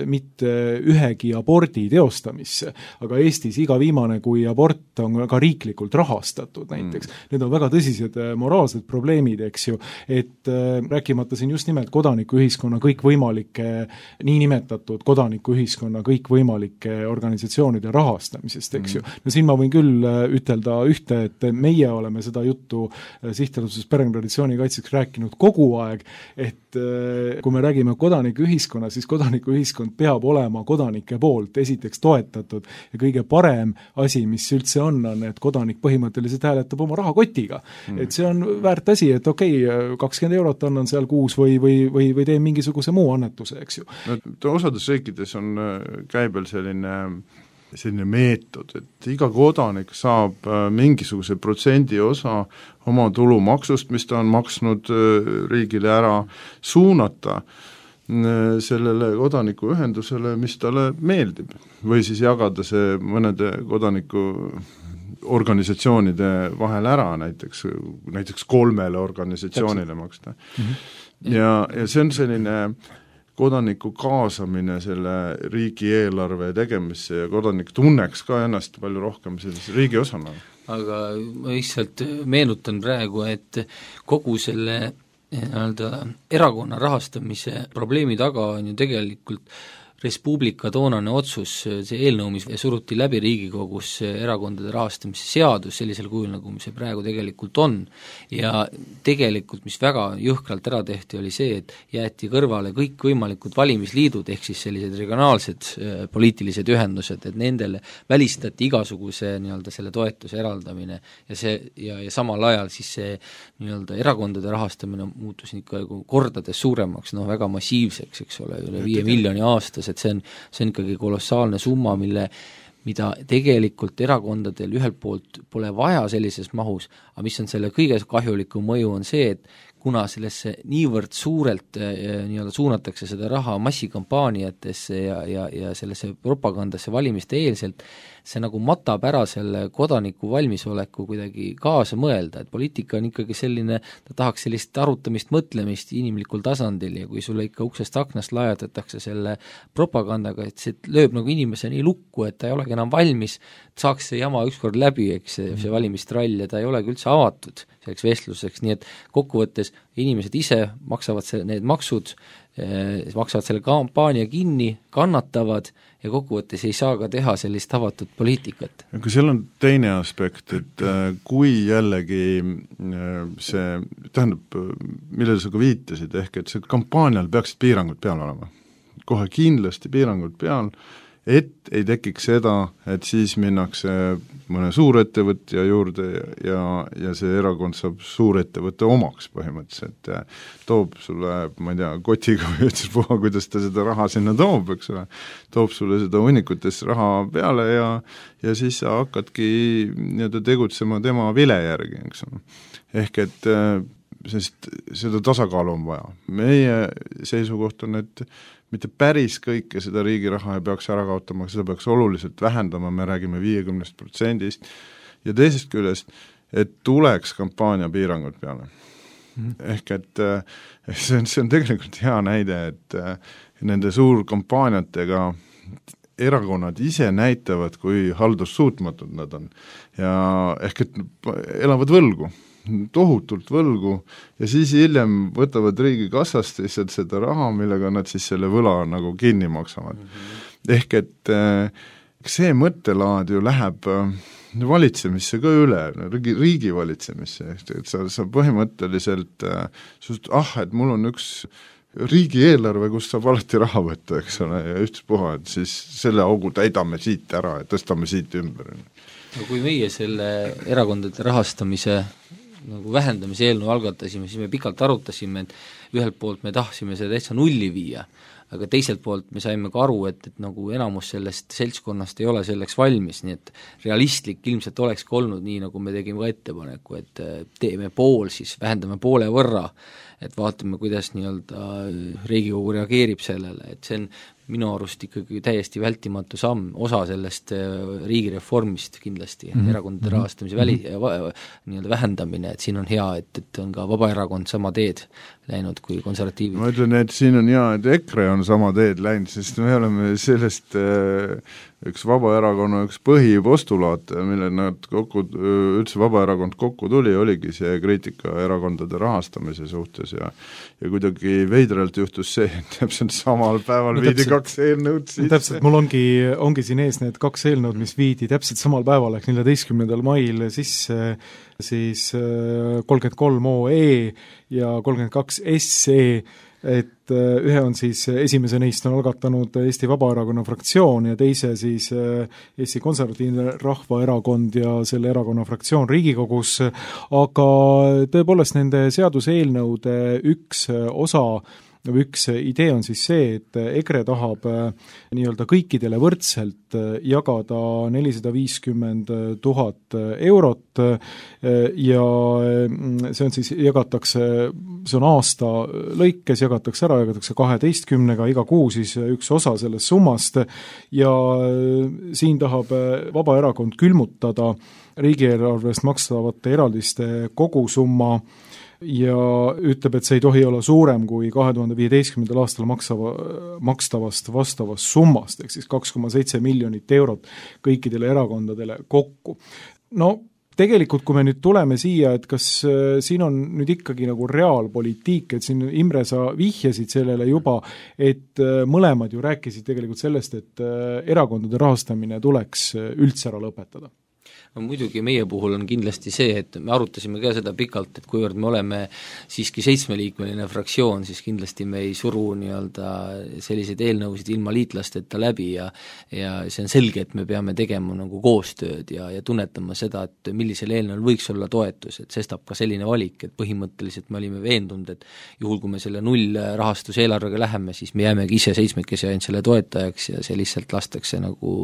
mitte ühegi abordi teostamisse, aga Eestis iga viimane, kui abort on ka riiklikult rahastatud näiteks. Mm. Need on väga tõsised moraalsed probleemid, eks ju, et äh, rääkimata siin just nimelt kodanikuühiskonna kõikvõimalike, niinimetatud kodanikuühiskonna kõikvõimalike organisatsioonide rahastamisest, eks ju. No siin ma võin küll ütelda ühte, et meie oleme seda juttu sihtasutuses Perekonnatraditsiooni kaitseks rääkinud kogu aeg, et äh, kui me räägime kodanikuühiskonna, siis kodanikuühiskond peab olema kodanike poolt esiteks toetatud ja kõige parem asi, mis üldse on, on, et kodanik põhimõtteliselt hääletab oma rahakotiga. Mm. Et see on väärt asi, et okei, okay, kakskümmend eurot annan seal kuus või, või, või, või teen mingisuguse muu annetuse, eks ju. No, osades riikides on käibel selline, selline meetod, et iga kodanik saab mingisuguse protsendi osa oma tulumaksust, mis ta on maksnud riigile ära, suunata sellele kodanikuühendusele, mis talle meeldib. Või siis jagada see mõnede kodaniku organisatsioonide vahel ära, näiteks, näiteks kolmele organisatsioonile maksta. Mm-hmm. Ja, ja see on selline kodaniku kaasamine selle riigieelarve tegemisse ja kodanik tunneks ka ennast palju rohkem sellise riigi osana. Aga ma lihtsalt meenutan praegu, et kogu selle nii-öelda erakonna rahastamise probleemi taga on ju tegelikult Res Publica toonane otsus, see eelnõu, mis suruti läbi Riigikogus, erakondade rahastamise seadus sellisel kujul, nagu see praegu tegelikult on, ja tegelikult, mis väga jõhkralt ära tehti, oli see, et jäeti kõrvale kõik võimalikud valimisliidud, ehk siis sellised regionaalsed äh, poliitilised ühendused, et nendele välistati igasuguse nii-öelda selle toetuse eraldamine ja see, ja, ja samal ajal siis see nii-öelda erakondade rahastamine muutus ikka kordades suuremaks, noh väga massiivseks, eks ole, üle viie miljoni aastas, et see on, see on ikkagi kolossaalne summa, mille, mida tegelikult erakondadel ühelt poolt pole vaja sellises mahus, aga mis on selle kõige kahjulikum mõju, on see, et kuna sellesse niivõrd suurelt nii-öelda suunatakse seda raha massikampaaniatesse ja, ja, ja sellesse propagandasse valimiste eelselt, see nagu matab ära selle kodaniku valmisoleku kuidagi kaasa mõelda, et poliitika on ikkagi selline, ta tahaks sellist arutamist, mõtlemist inimlikul tasandil ja kui sulle ikka uksest aknast laiatatakse selle propagandaga, et see lööb nagu inimese nii lukku, et ta ei olegi enam valmis, saaks see jama ükskord läbi, eks see, see valimistrall ja ta ei olegi üldse avatud selleks vestluseks, nii et kokkuvõttes inimesed ise maksavad see, need maksud, eh, maksavad selle kampaania kinni, kannatavad ja kokkuvõttes ei saa ka teha sellist avatud poliitikat. Aga seal on teine aspekt, et äh, kui jällegi äh, see, tähendab, millele sa ka viitasid, ehk et see kampaanial peaksid piirangud peal olema. Kohe kindlasti piirangud peal, et ei tekiks seda, et siis minnakse mõne suurettevõtja juurde ja, ja see erakond saab suurettevõtte omaks põhimõtteliselt, toob sulle, ma ei tea, kotiga või ütles puha, kuidas ta seda raha sinna toob, eks ole, toob sulle seda hunnikutes raha peale ja, ja siis sa hakkadki nii-öelda tegutsema tema vile järgi, eks ole. Ehk et sest seda tasakaalu on vaja. Meie seisukoht on, et mitte päris kõike seda riigi raha ei peaks ära kaotama, seda peaks oluliselt vähendama, me räägime viiekümnest protsendist ja teisest küljest, et tuleks kampaania piirangud peale. Mm-hmm. Ehk et see on, see on tegelikult hea näide, et nende suurkampaaniatega erakonnad ise näitavad, kui haldussuutmatud nad on ja ehk et elavad võlgu tohutult võlgu ja siis hiljem võtavad riigi kassast lihtsalt seda raha, millega nad siis selle võla nagu kinni maksavad. Mm-hmm. Ehk et see mõttelaad ju läheb valitsemisse ka üle, riigi, riigi valitsemisse, et sa, sa põhimõtteliselt sust, ah, et mul on üks riigieelarve, kus saab alati raha võtta, eks ole, ja ühtspuha, et siis selle augu täidame siit ära ja tõstame siit ümber. No kui meie selle erakondade rahastamise nagu vähendamise eelnõu algatasime, siis me pikalt arutasime, et ühelt poolt me tahtsime seda täitsa nulli viia, aga teiselt poolt me saime ka aru, et, et nagu enamus sellest seltskonnast ei ole selleks valmis, nii et realistlik ilmselt olekski olnud nii, nagu me tegime ka ettepaneku, et teeme pool, siis vähendame poole võrra, et vaatame, kuidas nii-öelda Riigikogu reageerib sellele, et see on minu arust ikkagi täiesti vältimatu samm, osa sellest riigireformist kindlasti mm, -hmm. erakondade rahastamise väli, nii-öelda vähendamine, et siin on hea, et, et on ka Vabaerakond sama teed läinud kui konservatiivid. Ma ütlen, et siin on hea, et EKRE on sama teed läinud, sest me oleme sellest äh, üks Vabaerakonna üks põhipostulaat, mille nad kokku, üldse Vabaerakond kokku tuli, oligi see kriitika erakondade rahastamise suhtes ja ja kuidagi veidralt juhtus see, et täpselt samal päeval no, viidi kaks eelnõud sisse. Täpselt, mul ongi, ongi siin ees need kaks eelnõud, mis viidi täpselt samal päeval, ehk neljateistkümnendal mail sisse siis kolmkümmend kolm O E ja kolmkümmend kaks S E, et ühe on siis, esimese neist on algatanud Eesti Vabaerakonna fraktsioon ja teise siis Eesti Konservatiivne Rahvaerakond ja selle erakonna fraktsioon Riigikogus, aga tõepoolest nende seaduseelnõude üks osa või üks idee on siis see, et EKRE tahab nii-öelda kõikidele võrdselt jagada nelisada viiskümmend tuhat eurot ja see on siis, jagatakse, see on aasta lõikes, jagatakse ära, jagatakse kaheteistkümnega, iga kuu siis üks osa sellest summast ja siin tahab Vabaerakond külmutada riigieelarvest makstavate eraldiste kogusumma ja ütleb, et see ei tohi olla suurem kui kahe tuhande viieteistkümnendal aastal maksava, makstavast vastavast summast, ehk siis kaks koma seitse miljonit eurot kõikidele erakondadele kokku. No tegelikult, kui me nüüd tuleme siia, et kas siin on nüüd ikkagi nagu reaalpoliitik, et siin Imre, sa vihjasid sellele juba, et mõlemad ju rääkisid tegelikult sellest, et erakondade rahastamine tuleks üldse ära lõpetada. No muidugi meie puhul on kindlasti see, et me arutasime ka seda pikalt, et kuivõrd me oleme siiski seitsmeliikmeline fraktsioon, siis kindlasti me ei suru nii-öelda selliseid eelnõusid ilma liitlasteta läbi ja ja see on selge, et me peame tegema nagu koostööd ja, ja tunnetama seda, et millisel eelnõul võiks olla toetus, et sestap ka selline valik, et põhimõtteliselt me olime veendunud, et juhul, kui me selle null rahastuse eelarvega läheme, siis me jäämegi ise seitsmekesi ainult selle toetajaks ja see lihtsalt lastakse nagu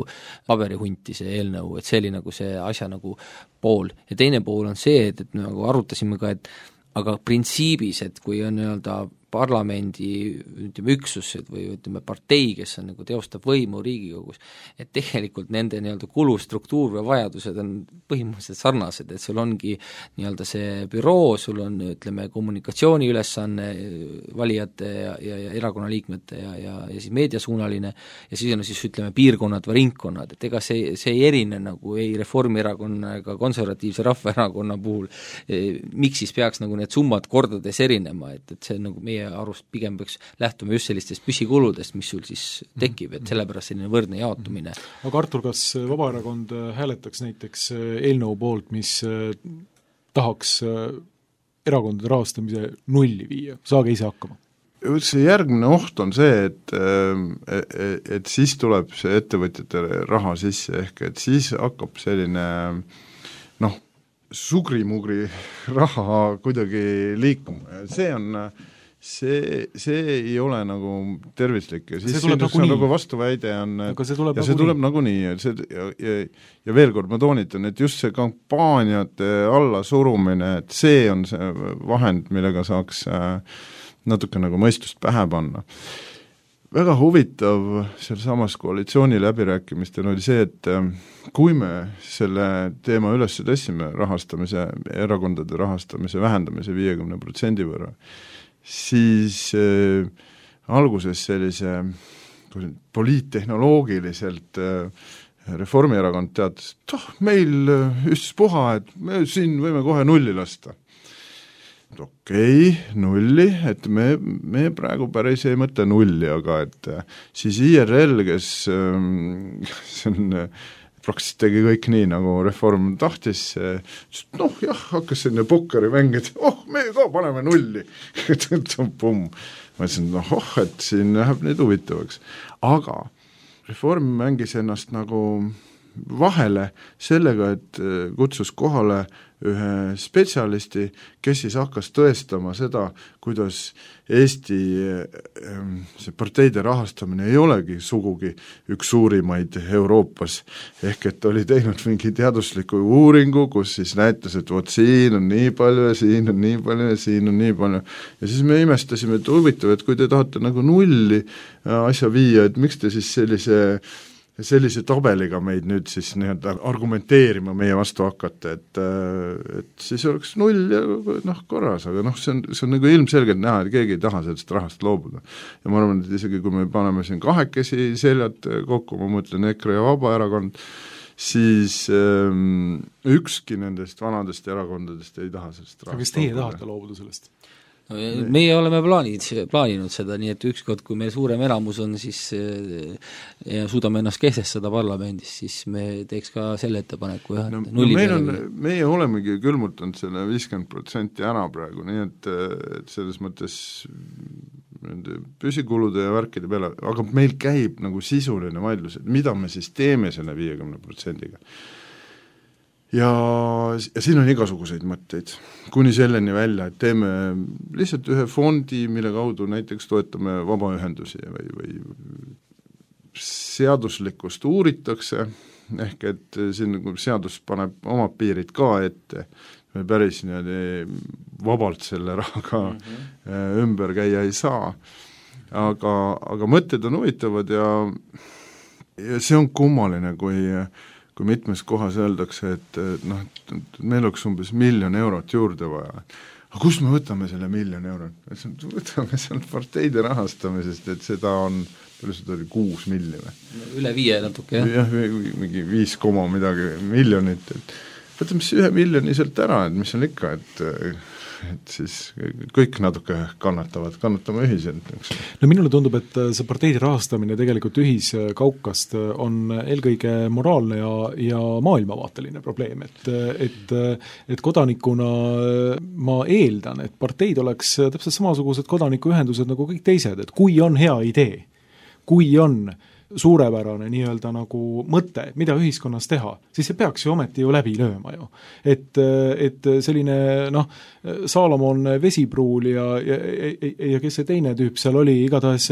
paberihunti see eelnõu, et see oli nagu see asja nagu pool. Ja teine pool on see, et, et nagu arutasime ka, et aga printsiibis, et kui on nii-öelda parlamendi ütleme üksused või ütleme partei, kes on nagu teostab võimu Riigikogus, et tegelikult nende nii-öelda kulustruktuur või vajadused on põhimõtteliselt sarnased, et sul ongi nii-öelda see büroo, sul on ütleme kommunikatsiooni ülesanne valijate ja, ja, ja erakonnaliikmete ja, ja, ja siis meediasuunaline ja siis on siis ütleme piirkonnad või ringkonnad, et ega see, see ei erine nagu ei Reformierakonna ega Konservatiivse Rahvaerakonna puhul, miks siis peaks nagu need summad kordades erinema, et, et see nagu meie arust pigem peaks lähtuma just sellistest püsikuludest, mis sul siis tekib, et sellepärast selline võrdne jaotumine. Aga Artur, kas Vabaerakond hääletaks näiteks eelnõu poolt, mis tahaks erakondade rahastamise nulli viia, saage ise hakkama? See järgmine oht on see, et, et siis tuleb see ettevõtjatele raha sisse, ehk et siis hakkab selline noh, sugri-mugri raha kuidagi liikuma ja see on see, see ei ole nagu tervislik ja siis see tuleb nagu, nagu vastuväide on, et, see ja see nagu tuleb nagu nii ja, see, ja, ja, ja veel kord ma toonitan, et just see kampaaniate allasurumine, et see on see vahend, millega saaks natuke nagu mõistust pähe panna. Väga huvitav seal samas koalitsiooni läbirääkimistel oli see, et kui me selle teema üles tõstsime rahastamise, erakondade rahastamise vähendamise viiekümne protsendi võrra, siis äh, alguses sellise poliittehnoloogiliselt äh, Reformierakond teatas, et oh, meil üstspuha, et me siin võime kohe nulli lasta. Okei, okay, nulli, et me, me praegu päris ei mõtle nulli, aga et siis I R L, kes ähm, see on praktiliselt tegi kõik nii, nagu Reform tahtis, noh jah, hakkas selline pokkeri mängida, oh, me ka paneme nulli. Pumm. Ma ütlesin, noh, oh, et siin läheb nüüd huvitavaks. Aga Reform mängis ennast nagu vahele sellega, et kutsus kohale ühe spetsialisti, kes siis hakkas tõestama seda, kuidas Eesti see parteide rahastamine ei olegi sugugi üks suurimaid Euroopas, ehk et oli teinud mingi teadusliku uuringu, kus siis näitas, et vot siin on nii palju ja siin on nii palju ja siin on nii palju. Ja siis me imestasime, et huvitav, et kui te tahate nagu nulli asja viia, et miks te siis sellise sellise tabeliga meid nüüd siis nii-öelda argumenteerima meie vastu hakata, et, et siis oleks null ja noh, korras, aga noh, see on, see on nagu ilmselgelt näha, et keegi ei taha sellest rahast loobuda. Ja ma arvan, et isegi kui me paneme siin kahekesi seljad kokku, ma mõtlen EKRE ja Vabaerakond, siis ähm, ükski nendest vanadest erakondadest ei taha sellest rahast. Aga kas teie loobuda. Tahate loobuda sellest? No, meie oleme plaanid, plaaninud seda, nii et ükskord, kui meil suurem elamus on, siis ja suudame ennast kehtestada parlamendis, siis me teeks ka selle ettepaneku. No, no meil on, meie olemegi külmutanud selle viiskümmend protsenti ära praegu, nii et, et selles mõttes nende püsikulude ja värkide peale, aga meil käib nagu sisuline vaidlus, et mida me siis teeme selle viiekümne protsendiga. Ja, ja siin on igasuguseid mõtteid, kuni selleni välja, et teeme lihtsalt ühe fondi, mille kaudu näiteks toetame vabaühendusi või, või seaduslikkust uuritakse, ehk et siin seadus paneb oma piirid ka ette, me päris niimoodi vabalt selle rahaga mm-hmm. ümber käia ei saa, aga, aga mõtted on huvitavad ja, ja see on kummaline, kui kui mitmes kohas öeldakse, et noh, et meil oleks umbes miljon eurot juurde vaja. Aga kust me võtame selle miljon eurot? Võtame sealt parteide rahastamisest, et seda on, palju seda oli, kuus milli või? Üle viie natuke, jah? Jah, mingi viis koma midagi miljonit, et võtame siis ühe miljoni sealt ära, et mis on ikka, et et siis kõik natuke kannatavad, kannatame ühiselt. No minule tundub, et see parteide rahastamine tegelikult ühiskaukast on eelkõige moraalne ja, ja maailmavaateline probleem, et, et, et kodanikuna ma eeldan, et parteid oleks täpselt samasugused kodanikuühendused nagu kõik teised, et kui on hea idee, kui on suurepärane nii-öelda nagu mõte, mida ühiskonnas teha, siis see peaks ju ometi ju läbi lööma ju. Et, et selline noh, Saalomon Vesipruul ja, ja, ja, ja kes see teine tüüp seal oli, igatahes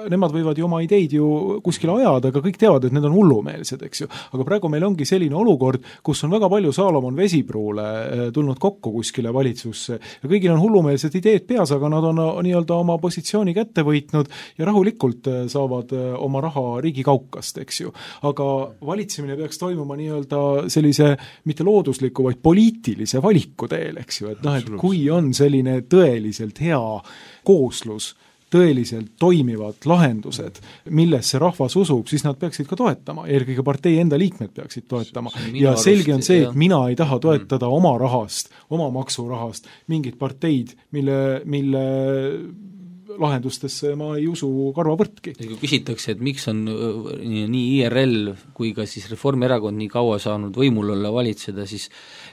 nemad võivad ju oma ideid ju kuskile ajada, aga kõik teavad, et need on hullumeelsed, eks ju. Aga praegu meil ongi selline olukord, kus on väga palju Saalomon Vesipruule tulnud kokku kuskile valitsusse ja kõigil on hullumeelsed ideed peas, aga nad on nii-öelda oma positsiooni kätte võitnud ja rahulikult saavad oma raha riigikaukast, eks ju. Aga valitsemine peaks toimuma nii-öelda sellise mitte loodusliku, vaid poliitilise valiku teel, eks ju, et noh, et kui on selline tõeliselt hea kooslus, tõeliselt toimivad lahendused, millesse rahvas usub, siis nad peaksid ka toetama, eelkõige partei enda liikmed peaksid toetama. Ja selge on see, et mina ei taha toetada oma rahast, oma maksurahast mingid parteid, mille, mille lahendustesse ma ei usu karvavõrdki. Kui küsitakse, et miks on nii I R L kui ka siis Reformierakond nii kaua saanud võimul olla valitseda, siis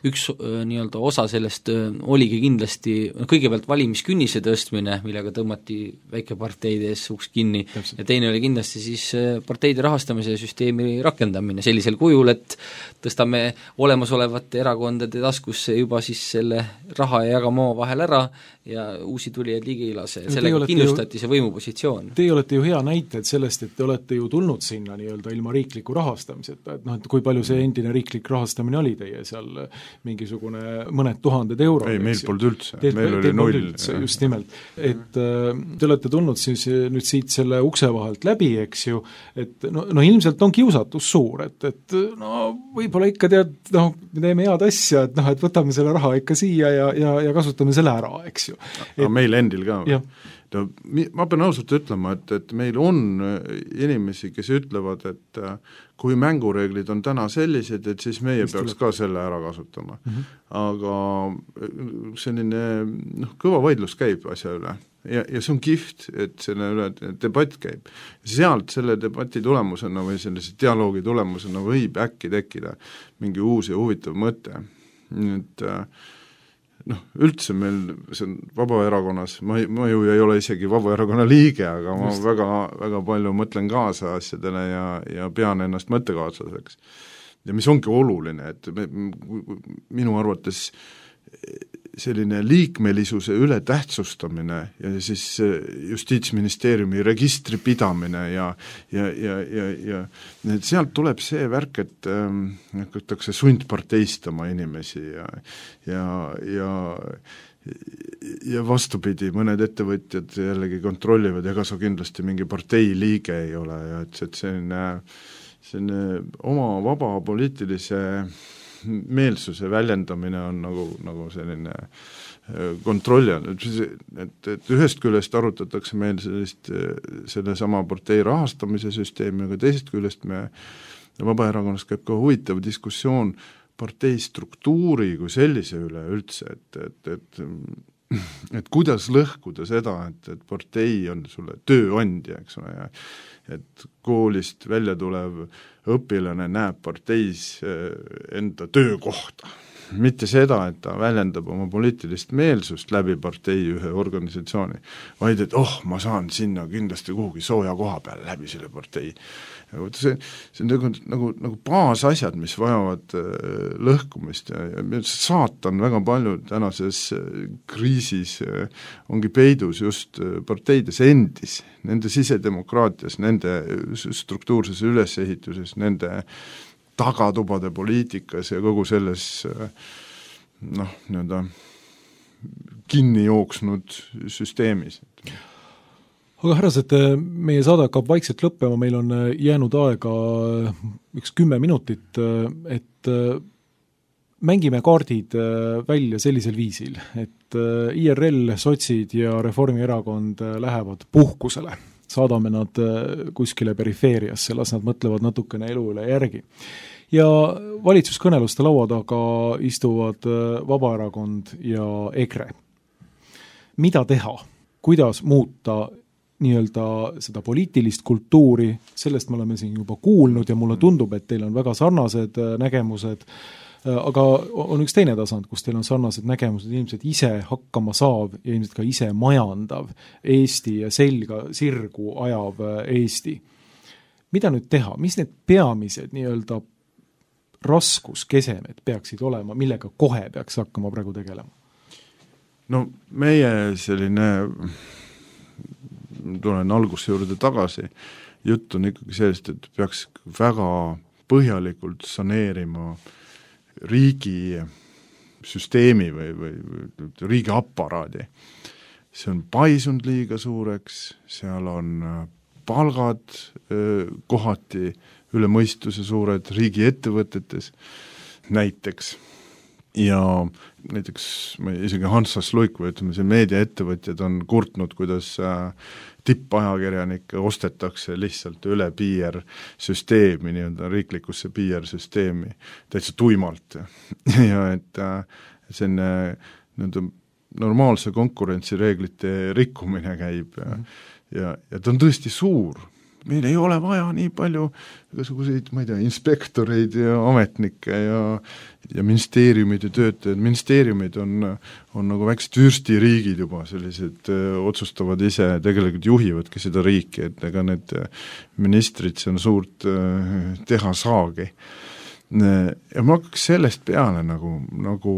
üks nii-öelda osa sellest oligi kindlasti kõigepealt valimiskünnise tõstmine, millega tõmmati väikeparteide ees uks kinni. Täpselt. Ja teine oli kindlasti siis parteide rahastamise süsteemi rakendamine sellisel kujul, et tõstame olemasolevate erakondade taskusse juba siis selle raha ja jagama vahel ära ja uusi tulijaid liigi ei lase. Sellega kindlustati ju, see võimupositsioon. Teie olete ju hea näited sellest, et te olete ju tulnud sinna nii-öelda ilma riikliku rahastamiseta, et noh, et kui palju see endine riiklik rahastamine oli teie seal mingisugune mõned tuhanded eurod. Ei, meil polnud üldse, Teet, meil oli null. Üldse, just nimelt, et äh, te olete tulnud siis nüüd siit selle ukse vahelt läbi, eks ju, et no, no ilmselt on kiusatus suur, et, et no võib-olla ikka tead, noh, me teeme head asja, et noh, et võtame selle raha ikka siia ja, ja, ja kasutame selle ära, eks ju. Aga meil endil ka. No, ma pean ausalt ütlema, et, et meil on inimesi, kes ütlevad, et kui mängureeglid on täna sellised, et siis meie Mis peaks tuleb? Ka selle ära kasutama. Mm-hmm. Aga selline noh, kõva vaidlus käib asja üle ja, ja see on kiht, et selle üle debatt käib. Sealt selle debati tulemusena või sellise dialoogi tulemusena võib äkki tekkida mingi uus ja huvitav mõte. Et noh, üldse meil, see on Vabaerakonnas, ma, ma ju ei ole isegi Vabaerakonna liige, aga ma Just. väga, väga palju mõtlen kaasa asjadele ja, ja pean ennast mõttekaaslaseks. Ja mis ongi oluline, et me, minu arvates selline liikmelisuse üle tähtsustamine ja siis Justiitsministeeriumi registri pidamine ja, ja, ja, ja, ja sealt tuleb see värk, et hakatakse ähm, sundparteistama inimesi ja, ja, ja, ja vastupidi, mõned ettevõtjad jällegi kontrollivad, ega sa kindlasti mingi partei liige ei ole ja et, et selline, selline oma vaba poliitilise meelsuse väljendamine on nagu, nagu selline kontrolli all, et, et ühest küljest arutatakse meil sellist, selle sama partei rahastamise süsteemi, aga teisest küljest me Vabaerakonnas käib ka huvitav diskussioon partei struktuuri kui sellise üle üldse, et, et, et, et kuidas lõhkuda seda, et, et partei on sulle tööandja, eks ole, ja et koolist välja tulev õpilane näeb parteis enda töökohta. Mitte seda, et ta väljendab oma poliitilist meelsust läbi partei ühe organisatsiooni, vaid et oh, ma saan sinna kindlasti kuhugi sooja koha peale läbi selle partei. See, see on nagu, nagu, nagu baasasjad, mis vajavad lõhkumist ja, ja saatan väga palju tänases kriisis ongi peidus just parteides endis, nende sisedemokraatias, nende struktuurses ülesehituses, nende tagatubade poliitikas ja kogu selles noh, nii-öelda kinni jooksnud süsteemis. Aga härrased, meie saade hakkab vaikselt lõppema, meil on jäänud aega üks kümme minutit, et mängime kaardid välja sellisel viisil, et I R L, sotsid ja Reformierakond lähevad puhkusele. Saadame nad kuskile perifeeriasse, las nad mõtlevad natukene elu üle järgi. Ja valitsuskõneluste laua taga istuvad Vabaerakond ja EKRE. Mida teha? Kuidas muuta nii-öelda seda poliitilist kultuuri, sellest me oleme siin juba kuulnud ja mulle tundub, et teil on väga sarnased nägemused, aga on üks teine tasand, kus teil on sarnased nägemused, ilmselt ise hakkama saav ja ilmselt ka ise majandav Eesti ja selga sirgu ajav Eesti. Mida nüüd teha? Mis need peamised nii-öelda raskuskesemed peaksid olema, millega kohe peaks hakkama praegu tegelema? No meie selline, tulen alguse juurde tagasi, jutt on ikkagi sellest, et peaks väga põhjalikult saneerima riigi süsteemi või, või, või riigi aparaadi. See on paisunud liiga suureks, seal on palgad öö, kohati üle mõistuse suured riigi ettevõtetes näiteks. Ja näiteks ma isegi Hansas Luik või ütleme, see meediaettevõtjad on kurtnud, kuidas äh, tippajakirjanikke ostetakse lihtsalt üle P R-süsteemi, nii-öelda riiklikusse P R-süsteemi täitsa tuimalt. ja et äh, selline nii-öelda normaalse konkurentsireeglite rikkumine käib ja, mm. ja, ja ta on tõesti suur. Meil ei ole vaja nii palju igasuguseid, ma ei tea, inspektoreid ja ametnikke ja, ja ministeeriumid ja töötajad. Ministeeriumid on, on nagu väiksed vürstiriigid juba, sellised öö, otsustavad ise, tegelikult juhivadki seda riiki, et ega need ministrid see on suurt öö, teha saagi. Ja ma hakkaks sellest peale nagu, nagu,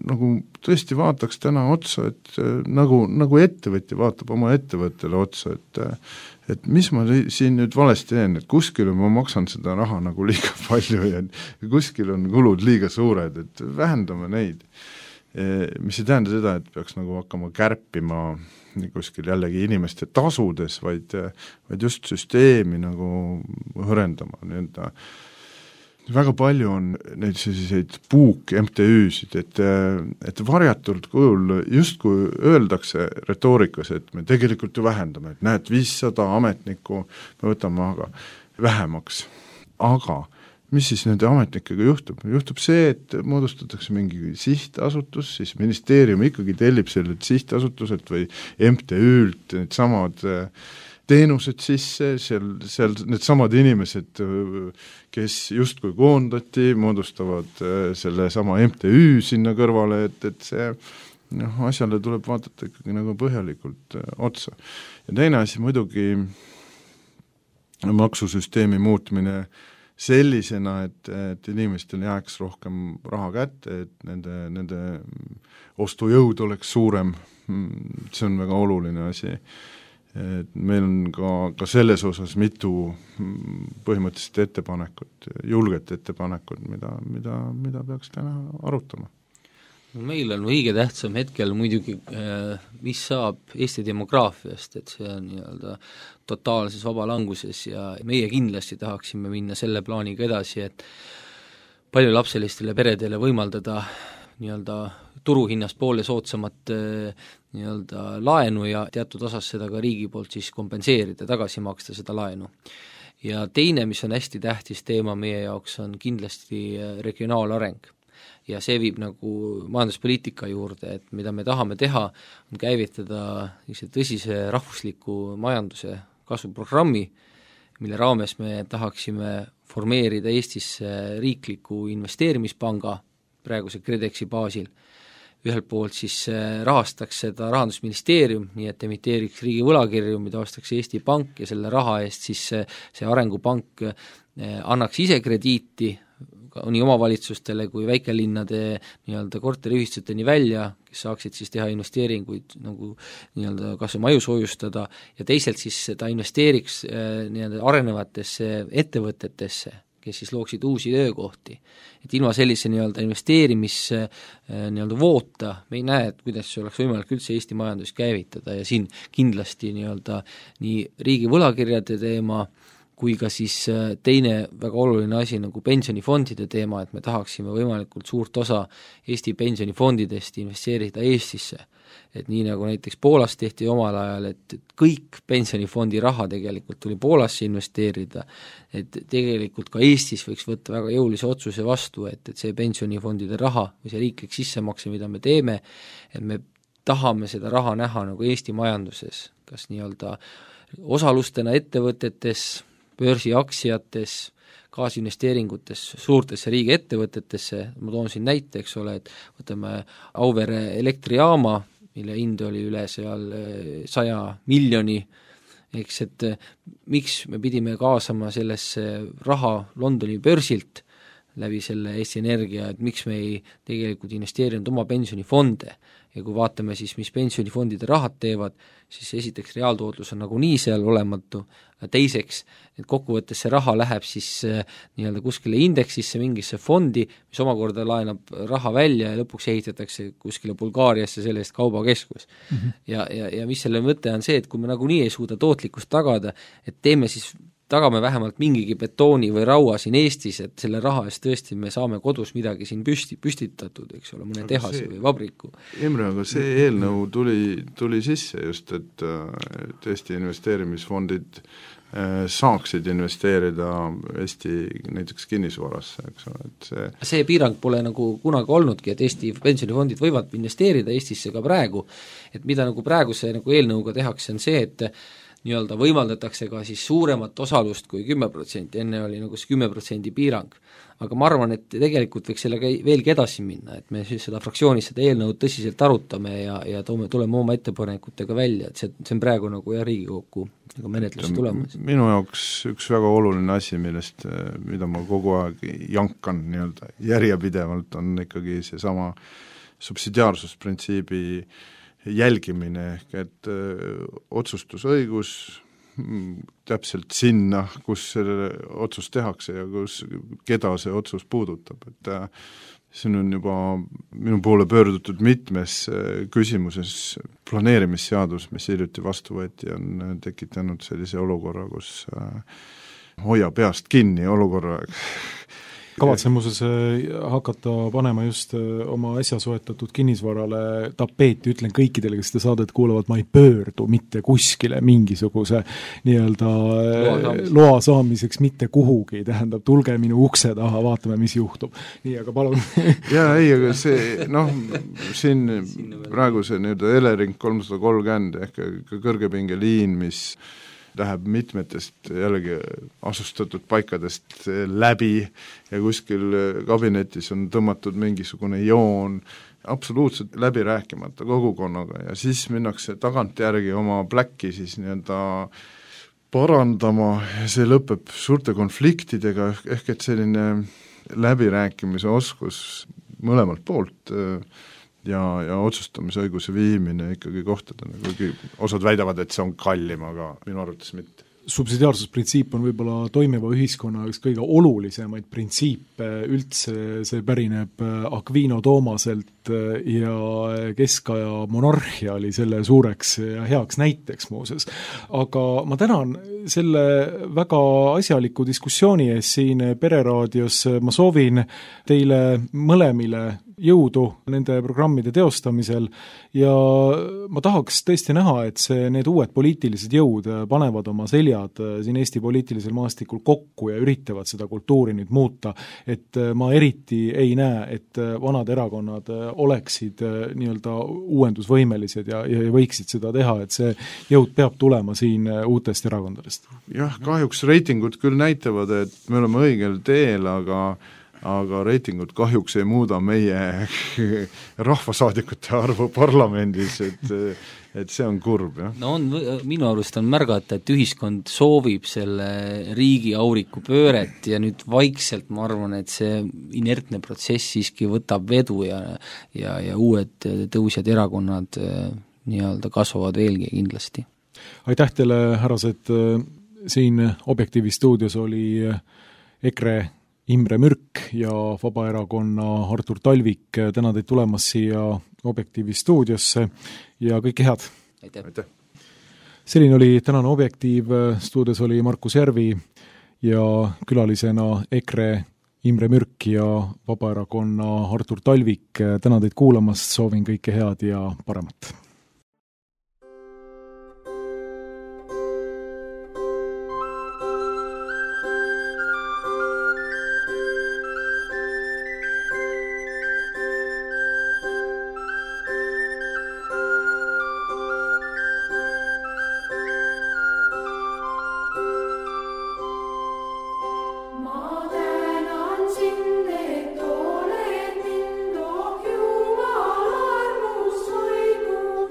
nagu tõesti vaataks täna otsa, et nagu, nagu ettevõtja vaatab oma ettevõttele otsa, et et mis ma siin nüüd valesti teen, et kuskil ma maksan seda raha nagu liiga palju ja kuskil on kulud liiga suured, et vähendame neid. Mis ei tähenda seda, et peaks nagu hakkama kärpima kuskil jällegi inimeste tasudes, vaid, vaid just süsteemi nagu hõrendama nii-öelda. Väga palju on neid selliseid puuk M T Üsid, et, et varjatult kujul just kui öeldakse retoorikas, et me tegelikult ju vähendame, et näed, viissada ametnikku me võtame aga vähemaks. Aga mis siis nende ametnikega juhtub? Juhtub see, et moodustatakse mingi sihtasutus, siis ministeerium ikkagi tellib sellelt sihtasutuselt või M T Ült need samad teenused sisse, seal, seal need samad inimesed, kes justkui koondati, moodustavad selle sama M T Ü sinna kõrvale, et, et see noh, asjale tuleb vaadata ikkagi nagu põhjalikult otsa. Ja teine asi muidugi maksusüsteemi muutmine sellisena, et, et inimestel jääks rohkem raha kätte, et nende, nende ostujõud oleks suurem, see on väga oluline asi. Et meil on ka, ka selles osas mitu põhimõtteliselt ettepanekut, julget ettepanekut, mida, mida, mida peaks täna arutama. Meil on õige tähtsam hetkel muidugi, mis saab Eesti demograafiast, et see on nii-öelda totaalses vabalanguses ja meie kindlasti tahaksime minna selle plaaniga edasi, et paljulapselistele peredele võimaldada nii-öelda turuhinnast poole soodsamat nii-öelda laenu ja teatud osas seda ka riigi poolt siis kompenseerida, tagasi maksta seda laenu. Ja teine, mis on hästi tähtis teema meie jaoks, on kindlasti regionaalareng. Ja see viib nagu majanduspoliitika juurde, et mida me tahame teha, on käivitada tõsise rahvusliku majanduse kasvuprogrammi, mille raames me tahaksime formeerida Eestisse riikliku investeerimispanga praeguse KredExi baasil. Ühelt poolt siis rahastaks seda Rahandusministeerium, nii et emiteeriks riigi võlakirju, mida ostaks Eesti Pank ja selle raha eest siis see arengupank annaks ise krediiti nii omavalitsustele kui väikelinnade nii-öelda korteriühistuteni välja, kes saaksid siis teha investeeringuid nagu nii-öelda kas maju soojustada ja teisalt siis ta investeeriks nii-öelda arenevatesse ettevõtetesse, kes siis looksid uusi töökohti. Et ilma sellise nii-öelda investeerimis nii-öelda voota me ei näe, et kuidas see oleks võimalik üldse Eesti majandus käivitada ja siin kindlasti nii-öelda nii riigi võlakirjade teema kui ka siis teine väga oluline asi nagu pensionifondide teema, et me tahaksime võimalikult suurt osa Eesti pensionifondidest investeerida Eestisse. Et nii nagu näiteks Poolas tehti omal ajal, et kõik pensionifondi raha tegelikult tuli Poolasse investeerida, et tegelikult ka Eestis võiks võtta väga jõulise otsuse vastu, et, et see pensionifondide raha või see riiklik sissemakse, mida me teeme, et me tahame seda raha näha nagu Eesti majanduses, kas nii-öelda osalustena ettevõtetes, börsiaktsiates, kaasinvesteeringutes suurtesse riigiettevõtetesse, ma toon siin näite, eks ole, et võtame Auvere elektrijaama, mille hind oli üle seal saja miljoni, eks, et miks me pidime kaasama sellesse raha Londoni börsilt läbi selle Eesti Energia, et miks me ei tegelikult investeerinud oma pensionifonde ja kui vaatame siis, mis pensionifondide rahad teevad, siis esiteks reaaltootlus on nagunii seal olematu, teiseks, et kokkuvõttes see raha läheb siis nii-öelda kuskile indeksisse, mingisse fondi, mis omakorda laenab raha välja ja lõpuks ehitatakse kuskile Bulgaariasse selle eest kaubakeskus. Mm -hmm. ja, ja, ja mis selle mõte on see, et kui me nagunii ei suuda tootlikkust tagada, et teeme siis tagame vähemalt mingigi betooni või raua siin Eestis, et selle raha eest tõesti me saame kodus midagi siin püsti, püstitatud, eks ole, mõne tehase see, või vabriku. Imre, aga see eelnõu tuli, tuli sisse just, et, et Eesti investeerimisfondid saaksid investeerida Eesti näiteks kinnisvarasse, eks ole, et see see piirang pole nagu kunagi olnudki, et Eesti pensionifondid võivad investeerida Eestisse ka praegu, et mida nagu praeguse nagu eelnõuga tehakse, on see, et nii-öelda võimaldatakse ka siis suuremat osalust kui kümme protsenti, enne oli nagu see kümme protsenti piirang. Aga ma arvan, et tegelikult võiks sellega veelgi edasi minna, et me siis seda fraktsioonis seda eelnõud tõsiselt arutame ja, ja toome, tuleme oma ettepanekutega välja, et see, see on praegu nagu jah, Riigikokku nagu menetlus tulemas. Minu jaoks üks väga oluline asi, millest, mida ma kogu aeg jankan nii-öelda järjepidevalt, on ikkagi seesama subsidiaarsusprintsiibi jälgimine, ehk et öö, otsustusõigus täpselt sinna, kus selle otsus tehakse ja kus, keda see otsus puudutab, et äh, siin on juba minu poole pöördutud mitmes äh, küsimuses planeerimisseadus, mis hiljuti vastu võeti, on tekitanud sellise olukorra, kus äh, hoia peast kinni olukorra kavatsen muuseas hakata panema just oma äsja soetatud kinnisvarale tapeeti, ütlen kõikidele, kes seda saadet kuulavad, ma ei pöördu mitte kuskile mingisuguse nii-öelda loa, loa saamiseks mitte kuhugi, tähendab, tulge minu ukse taha, vaatame, mis juhtub. Nii, aga palun. jaa, ei, aga see, noh, siin praegu see nii-öelda Elering kolmsada kolmkümmend ehk kõrgepingeliin, mis läheb mitmetest jällegi asustatud paikadest läbi ja kuskil kabinetis on tõmmatud mingisugune joon, absoluutselt läbi rääkimata kogukonnaga ja siis minnakse tagantjärgi oma pläkki siis nii-öelda parandama ja see lõpeb suurte konfliktidega, ehk et selline läbirääkimise oskus mõlemalt poolt ja, ja otsustamisõiguse viimine ikkagi kohtadena, kuigi osad väidavad, et see on kallim, aga minu arvates mitte. Subsidiaarsusprintsiip on võib-olla toimiva ühiskonna üks kõige olulisemaid printsiipe üldse, see pärineb Aquino Toomaselt ja keskaja monarhia oli selle suureks ja heaks näiteks muuses. Aga ma tänan selle väga asjaliku diskussiooni ees siin Pereraadios, ma soovin teile mõlemile jõudu nende programmide teostamisel ja ma tahaks tõesti näha, et see, need uued poliitilised jõud panevad oma seljad siin Eesti poliitilisel maastikul kokku ja üritavad seda kultuuri nüüd muuta, et ma eriti ei näe, et vanad erakonnad oleksid nii-öelda uuendusvõimelised ja, ja võiksid seda teha, et see jõud peab tulema siin uutest erakondadest. Jah, kahjuks reitingud küll näitavad, et me oleme õigel teel, aga aga reitingud kahjuks ei muuda meie rahvasaadikute arvu parlamendis, et, et see on kurb, jah. No on, minu arust on märgata, et ühiskond soovib selle riigi auriku pööret ja nüüd vaikselt ma arvan, et see inertne protsess siiski võtab vedu ja, ja, ja uued tõusjad erakonnad nii-öelda kasvavad veelgi kindlasti. Aitäh teile, härrased, siin Objektiivi stuudios oli EKRE Imre Mürk ja Vabaerakonna Artur Talvik, täna teid tulemas siia Objektiivi stuudiosse ja kõike head! Aitäh! Aitäh. Selline oli tänane Objektiiv, stuudios oli Markus Järvi ja külalisena EKRE Imre Mürk ja Vabaerakonna Artur Talvik. Täna teid kuulamast, soovin kõike head ja paremat! Jumala armust hoidnud.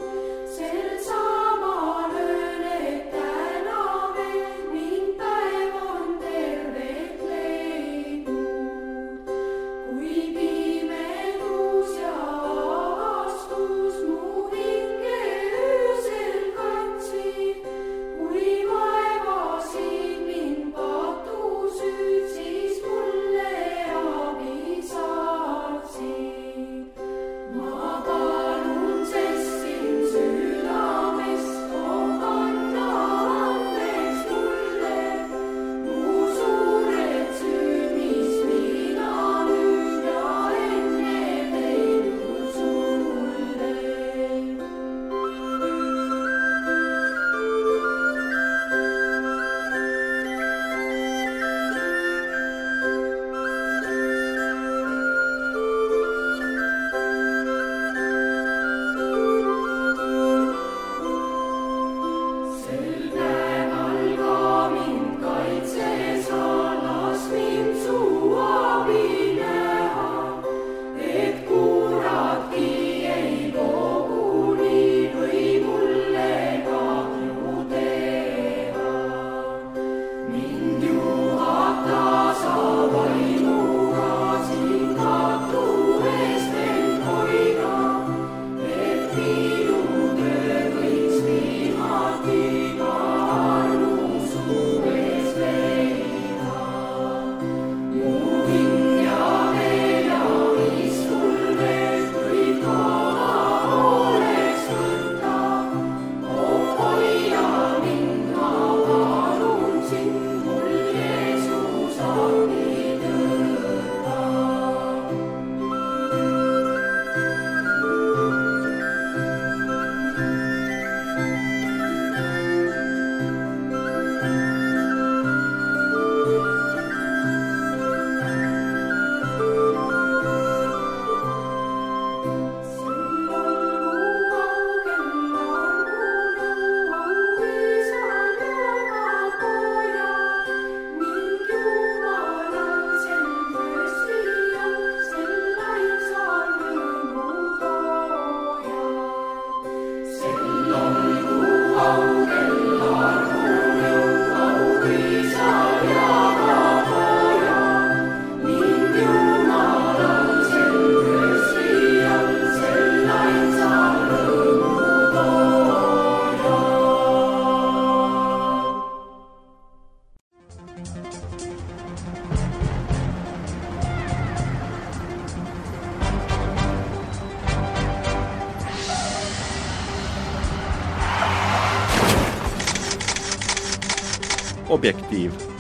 Objektiiv